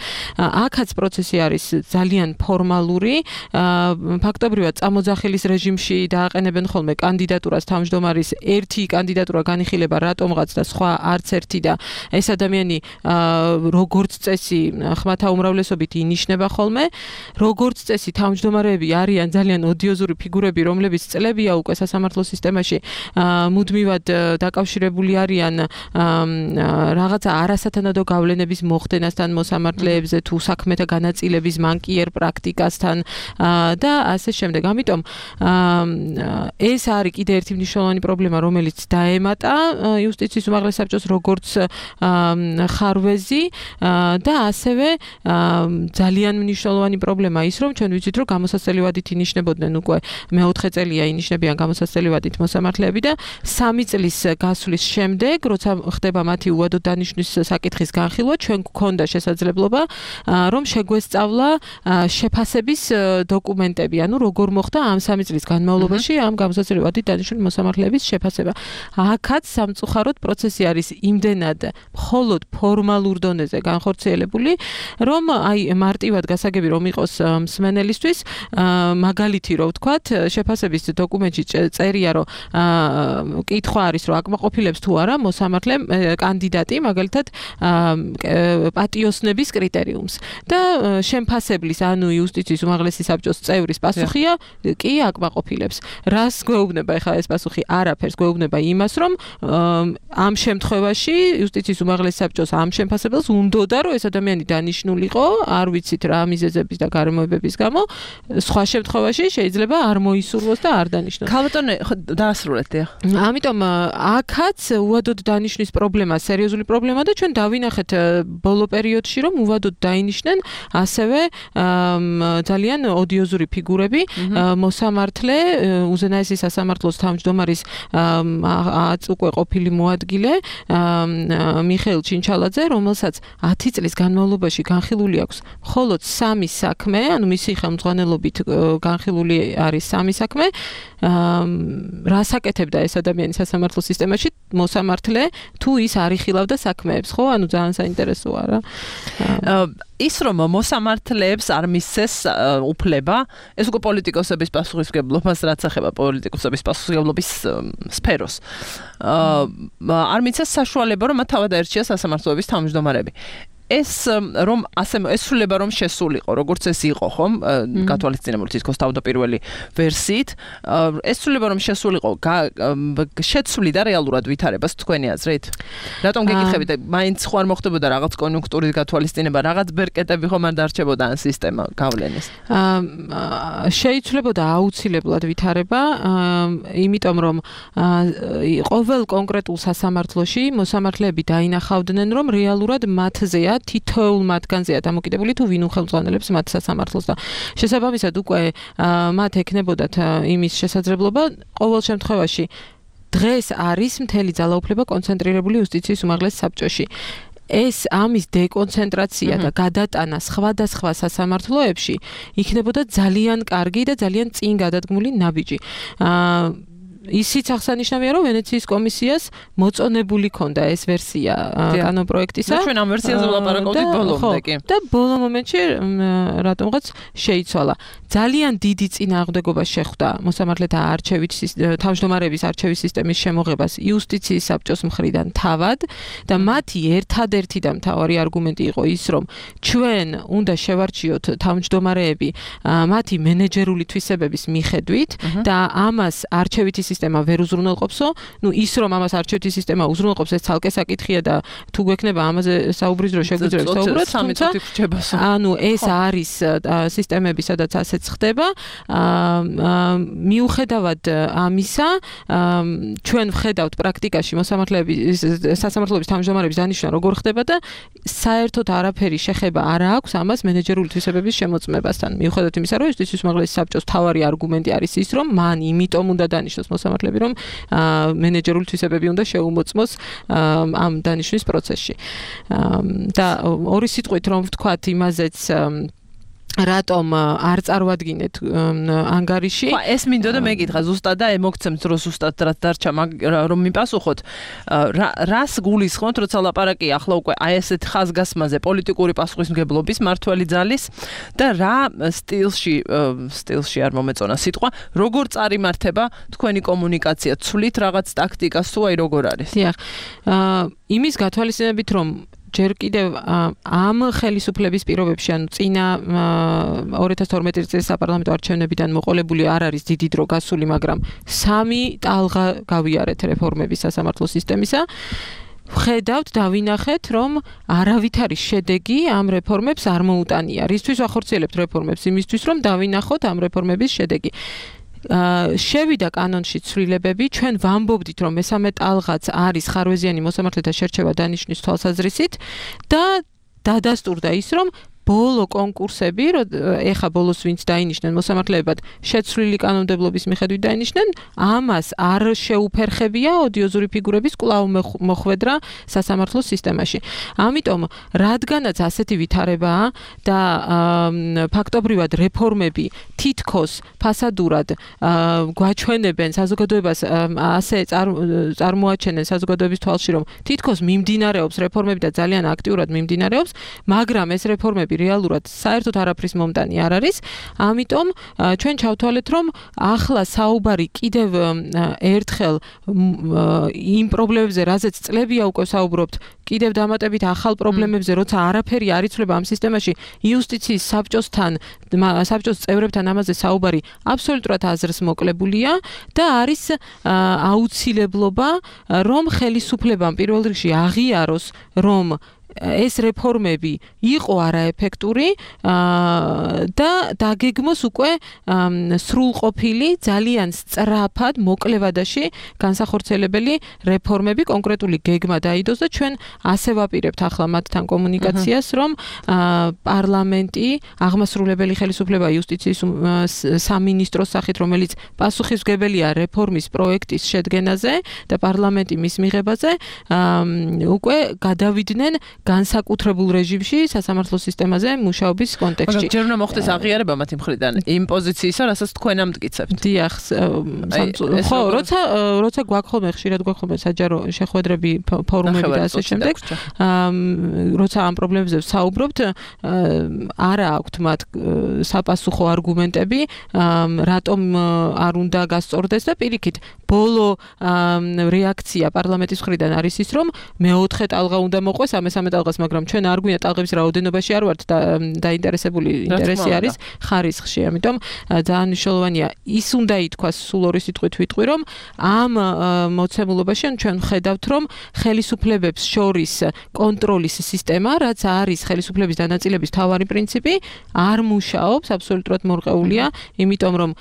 აქაც პროცესი არის ძალიან ფორმალური, ფაქტობრივად წამოძახილის რეჟიმში დააყენებენ ხოლმე კანდიდატურას თავმჯდომარის, ერთი კანდიდატურა განიხილება რატომღაც და სხვა არც ერთი და ეს ადამიანი როგორც წესი ხმათა უმრავლესობით ინიშნება ხოლმე, როგორც წესი თავმჯდომარეები არიან ძალიან ოდიოზური ფიგურები, რომლებიც წლებია უკვე სასამართლო სისტემაში მუდმივად დაკავშირებული არიან რაღაცა არასათანადო გავლენების მოხდენასთან მოსამართლეებზე თუ საქმეთა განაწილების მანკიერ პრაქტიკასთან და ასე შემდეგ. ამიტომ ეს არის კიდე ერთი მნიშვნელოვანი პრობლემა, რომელიც დაემატა იუსტიციის უმაღლეს საბჭოს როგორც ხარვეზი და ასევე ძალიან მნიშვნელოვანი პრობლემა ის, რომ ჩვენ ვიცით, რომ გამოსაცდელი ვადით ინიშნებოდნენ უკვე მეოთხე წელია ინიშნებიან გამოსაცდელი ვადით მოსამართლეები და 3 წლის გასვლის შემდეგ, როცა ხდება მათი უადოდ დანიშნვის საკითხის განხილვა, ჩვენ გვქონდა შესაძლებლობა, რომ შეგვესწავლა შეფასების დოკუმენტები, ანუ როგორ მოხდა ამ 3 წლის განმავლობაში ამ გამოსაცდელი ვადით დანიშნული მოსამართლეების შეფასება. აქაც სამწუხაროდ პროცესი არის იმდენად მხოლოდ ფორმალურ დონეზე განხორციელებული, რომ აი მარტივად გასაგები რომ იყოს მსმენელისთვის, მაგალითი რო ვთქვათ, შეფასების დოკუმენტში წერია, რომ კითხვა არის, რომ აკმაყოფილებს თუ არა მოსამართლე კანდიდატი, მაგალითად პატიოსნების კრიტერიუმს და შემფასებლის, ანუ იუსტიციის უმაღლესი საბჭოს წევრის პასუხია, კი აკმაყოფილებს. რას გვეუბნება ახლა ეს პასუხი? არაფერს, გვეუბნება იმას, რომ ამ შემთხვევაში იუსტიციის უმაღლესი საბჭოს ამ შემფასებელს უნდოდა, რომ ეს ადამიანი დანიშნულიყო, არ ვიცით რა მიზეზების და გარემოებების გამო, სხვა შემთხვევაში შეიძლება არ მოისურვოს და არ დანიშნოს. ქალბატონე, დაასრულეთ. ამიტომ აქაც უადოდ დანიშნვის პრობლემა, სერიოზული პრობლემა და ჩვენ დავინახეთ ბოლო პერიოდში, რომ უადოდ დაინიშნენ ასევე ძალიან ოდიოზური ფიგურები, მოსამართლე, უზენაესი სასამართლოს თავმჯდომარის უკვე ყოფილი მოადგილე მიხეილ ჩინჩალაძე, რომელსაც 10 წლის განმავლობაში განხილული აქვს მხოლოდ 3 საქმე, ანუ მისი ხელმძღვანელობით განხილული არის 3 საქმე. რას აკეთებდა ეს ადამიანი სასამართლო სისტემაში? მოსამართლე თუ ის არ იხილავდა საქმეებს, ხო? ანუ ძალიან საინტერესოა რა. ის რომ მოსამართლეებს არ მისცეს უფლება, ეს უკვე პოლიტიკოსების პასუხისმგებლობას, რაც ეხება პოლიტიკოსების პასუხისმგებლობის სფეროს. არ მისცეს საშუალება, რომ მათ თავად აერჩიეს სასამართლოების თავმჯდომარები. ეს რომ ასე ესრულება რომ შესულიყო, როგორც ეს იყო, ხომ? გათვალისწინებული თითქოს თავდაპირველი ვერსიით, ესრულება რომ შესულიყო, შეცვლიდა რეალურად ვითარებას თქვენი აზრით? რატომ გეკითხებით? მაინც ხო არ მოხდებოდა რაღაც კონიუნქტურის გათვალისწინება, რაღაც ბერკეტები ხომ არ დარჩებოდა ან სისტემა გავლენის? შეიცვლებოდა აუცილებლად ვითარება, იმიტომ რომ ყოველ კონკრეტულ სასამართლოში მოსამართლეები დაინახავდნენ, რომ რეალურად მათზეა, თითოეულ მათგანზეა დამოკიდებული თუ ვინ უხელმძღვანელებს მათ სასამართლოს და შესაბამისად უკვე მათ ექნებოდათ იმის შესაძლებლობა ყოველ შემთხვევაში დღეს არის მთელი ძალაუფლება კონცენტრირებული იუსტიციის უმაღლეს საბჭოში. ეს ამის დეკონცენტრაცია და გადატანა სხვადასხვა სასამართლოებში იქნებოდა ძალიან კარგი და ძალიან წინ გადადგმული ნაბიჯი. ისიც აღსანიშნავია, რომ ვენეციის კომისიას მოწონებული ქონდა ეს ვერსია კანონპროექტისა. და ჩვენ ამ ვერსიაზე ვლაპარაკობდით ბოლომდე კი. და ბოლო მომენტში რატომღაც შეიცვალა. ძალიან დიდი წინააღმდეგობა შეხვდა მოსამართლეთა თავმჯდომარეების არჩევის სისტემის შემოღებას იუსტიციის საბჭოს მხრიდან თავად და მათი ერთადერთი და მთავარი არგუმენტი იყო ის, რომ ჩვენ უნდა შევარჩიოთ თავმჯდომარეები მათი მენეჯერული თვისებების მიხედვით და ამას არჩევითი სისტემა ვერ უზრუნველყოფსო, ის რომ ამას არჩევითი სისტემა უზრუნველყოფს, ეს ცალკე საკითხია და თუ გვექნება ამაზე საუბრის დრო შეგვიძლია საუბროთ, ანუ ეს არის სისტემები, სადაც ასეც ხდება. მიუხედავად ამისა, ჩვენ ვხედავთ პრაქტიკაში სასამართლოების თავმჯდომარეების დანიშვნა როგორ ხდება და საერთოდ არაფერი შეხება არ აქვს ამას მენეჯერული თვისებების შემოწმებასთან. მიუხედავად იმისა, რომ იუსტიციის უმაღლესი საბჭოს მთავარი არგუმენტი არის ის, რომ მან იმიტომ უნდა დანიშნოს მოსამართლეები, რომ მენეჯერული თვისებები უნდა შეუმოწმოს ამ დანიშვნის პროცესში. და ორი სიტყვით რომ ვთქვათ იმაზეც რატომ არ წარვადგინეთ ანგარიში? ხო, ეს მინდოდა მეკითხა ზუსტად და მოგცემთ რომ ზუსტად რაც დარჩა, რომ მიპასუხოთ, რას გულისხმობთ, როცა ლაპარაკია ახლა უკვე აი ესეთ ხაზგასმაზე პოლიტიკური პასუხისმგებლობის მართველი ძალის და რა სტილში არ მომეწონა სიტყვა, როგორ წარიმართება თქვენი კომუნიკაცია, ცვლით რაღაც ტაქტიკას თუ აი როგორ არის? დიახ. იმის გათვალისწინებით რომ ჯერ კიდევ ამ ხელისუფლების პირობებში, ანუ წინა 2012 წლის საპარლამენტო არჩევნებიდან მოყოლებული არ არის დიდი დრო გასული, მაგრამ 3 ტალღა გავიარეთ რეფორმების სასამართლო სისტემისა. ვხედავთ, დავინახეთ, რომ არავითარი შედეგი ამ რეფორმებს არ მოუტანია. რისთვის ვახორციელებთ რეფორმებს? იმისთვის, რომ დავინახოთ ამ რეფორმების შედეგი. შევიდა კანონში ცვლილებები, ჩვენ ვამბობდით, რომ მესამე ტალღაც არის ხარვეზიანი მოსამართლეთა შერჩევა დანიშნვის თვალსაზრისით და დადასტურდა ის, რომ ბოლო კონკურსები, ეხა ბოლოს ვინც დაინიშნენ მოსამართლეებად, შეცვლილი კანონმდებლობის მიხედვით დაინიშნენ, ამას არ შეუფერხებია ოდიოზური ფიგურების კვლავ მოხვედრა სასამართლო სისტემაში. ამიტომ, რადგანაც ასეთი ვითარებაა და ფაქტობრივად რეფორმები თითქოს ფასადურად გვაჩვენებენ საზოგადოებას, ასე წარმოაჩენენ საზოგადოების თვალში, რომ თითქოს მიმდინარეობს რეფორმები და ძალიან აქტიურად მიმდინარეობს, მაგრამ ეს რეფორმები რეალურად საერთოდ არაფრის მომტანი არ არის. ამიტომ ჩვენ ჩავთვალეთ, რომ ახლა საუბარი კიდევ ერთხელ იმ პრობლემებზე, რაზეც წლებია უკვე საუბრობთ, კიდევ დამატებით ახალ პრობლემებზე, როცა არაფერი არ იცვლება ამ სისტემაში, იუსტიციის საბჭოს წევრებთან ამაზე საუბარი აბსოლუტურად აზრს მოკლებულია და არის აუცილებლობა, რომ ხელისუფლებამ პირველ რიგში აღიაროს, რომ ეს რეფორმები იყო არაეფექტური და დაგეგმოს უკვე სრულყოფილი, ძალიან სწრაფად, მოკლევადაში განსახორციელებელი რეფორმები, კონკრეტული გეგმა დაიდოს და ჩვენ ასე ვაპირებთ ახლა მათთან კომუნიკაციას, რომ პარლამენტი, აღმასრულებელი ხელისუფლება იუსტიციის სამინისტროს სახით, რომელიც პასუხისმგებელია რეფორმის პროექტის შედგენაზე და პარლამენტი მის მიღებაზე, უკვე გადავიდნენ განსაკუთრებულ რეჟიმში სასამართლო სისტემაზე მუშაობის კონტექსტში. მაგრამ ჯერ უნდა მოხდეს აღიარება მათი მხრიდან იმ პოზიციისა, რასაც თქვენ ამტკიცებთ. დიახ, ხო, როცა გვაქვს ხშირად გვაქვს საჯარო შეხვედრები, ფორუმები და ასე შემდეგ, როცა ამ პრობლემებზე ვსაუბრობთ, არა აქვთ მათ საპასუხო არგუმენტები, რატომ არ უნდა გასწორდეს და პირიქით, ბოლო რეაქცია პარლამენტის მხრიდან არის ის, რომ მეოთხე ტალღა უნდა მოყვეს, ამესამე ტალღას, მაგრამ ჩვენ არ გვინდა ტალღების რაოდენობაში არ ვართ დაინტერესებული, ინტერესი არის ხარისხში. ამიტომ ძალიან მნიშვნელოვანია ის უნდა ითქვას სულ ორი სიტყვით ვიტყვი, რომ ამ მოცემულობაში ჩვენ ხედავთ, რომ ხელისუფლებებს შორის კონტროლის სისტემა, რაც არის ხელისუფლების დანაწილების მთავარი პრინციპი, არ მუშაობს, აბსოლუტურად მორყეულია, იმიტომ რომ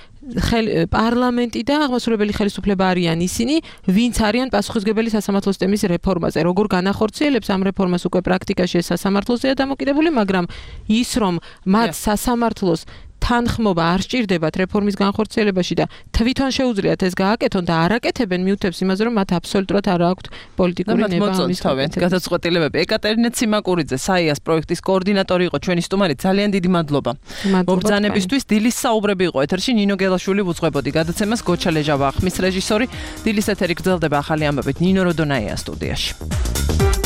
პარლამენტი და აღმასრულებელი ხელისუფლება არიან ისინი, ვინც არიან პასუხისმგებელი სასამართლო სისტემის რეფორმაზე. როგორ განახორციელებს ამ რეფორმას უკვე პრაქტიკაში ეს სასამართლოზეა დამოკიდებული, მაგრამ ის რომ მათ სასამართლოს თანხმობა არ სჭირდებათ რეფორმის განხორციელებაში და თვითონ შეუძლიათ ეს გააკეთონ და არ აკეთებენ მიუთებს იმაზე, რომ მათ აბსოლუტურად არ აქვთ პოლიტიკური ნება ამის გადაწყვეტილებები. ეკატერინე ციმაკურიძე, საიას პროექტის კოორდინატორი იყო ჩვენი სტუმარი. ძალიან დიდი მადლობა. მობრძანებისთვის დილის საუბრები იყო ეთერში ნინო გელაშვილი უძღვებოდი. გადაცემას გოჩა ლეჟავა, ხმის რეჟისორი. დილის ეთერი გრძელდება ახალი ამბებით ნინო როდონაია სტუდიაში.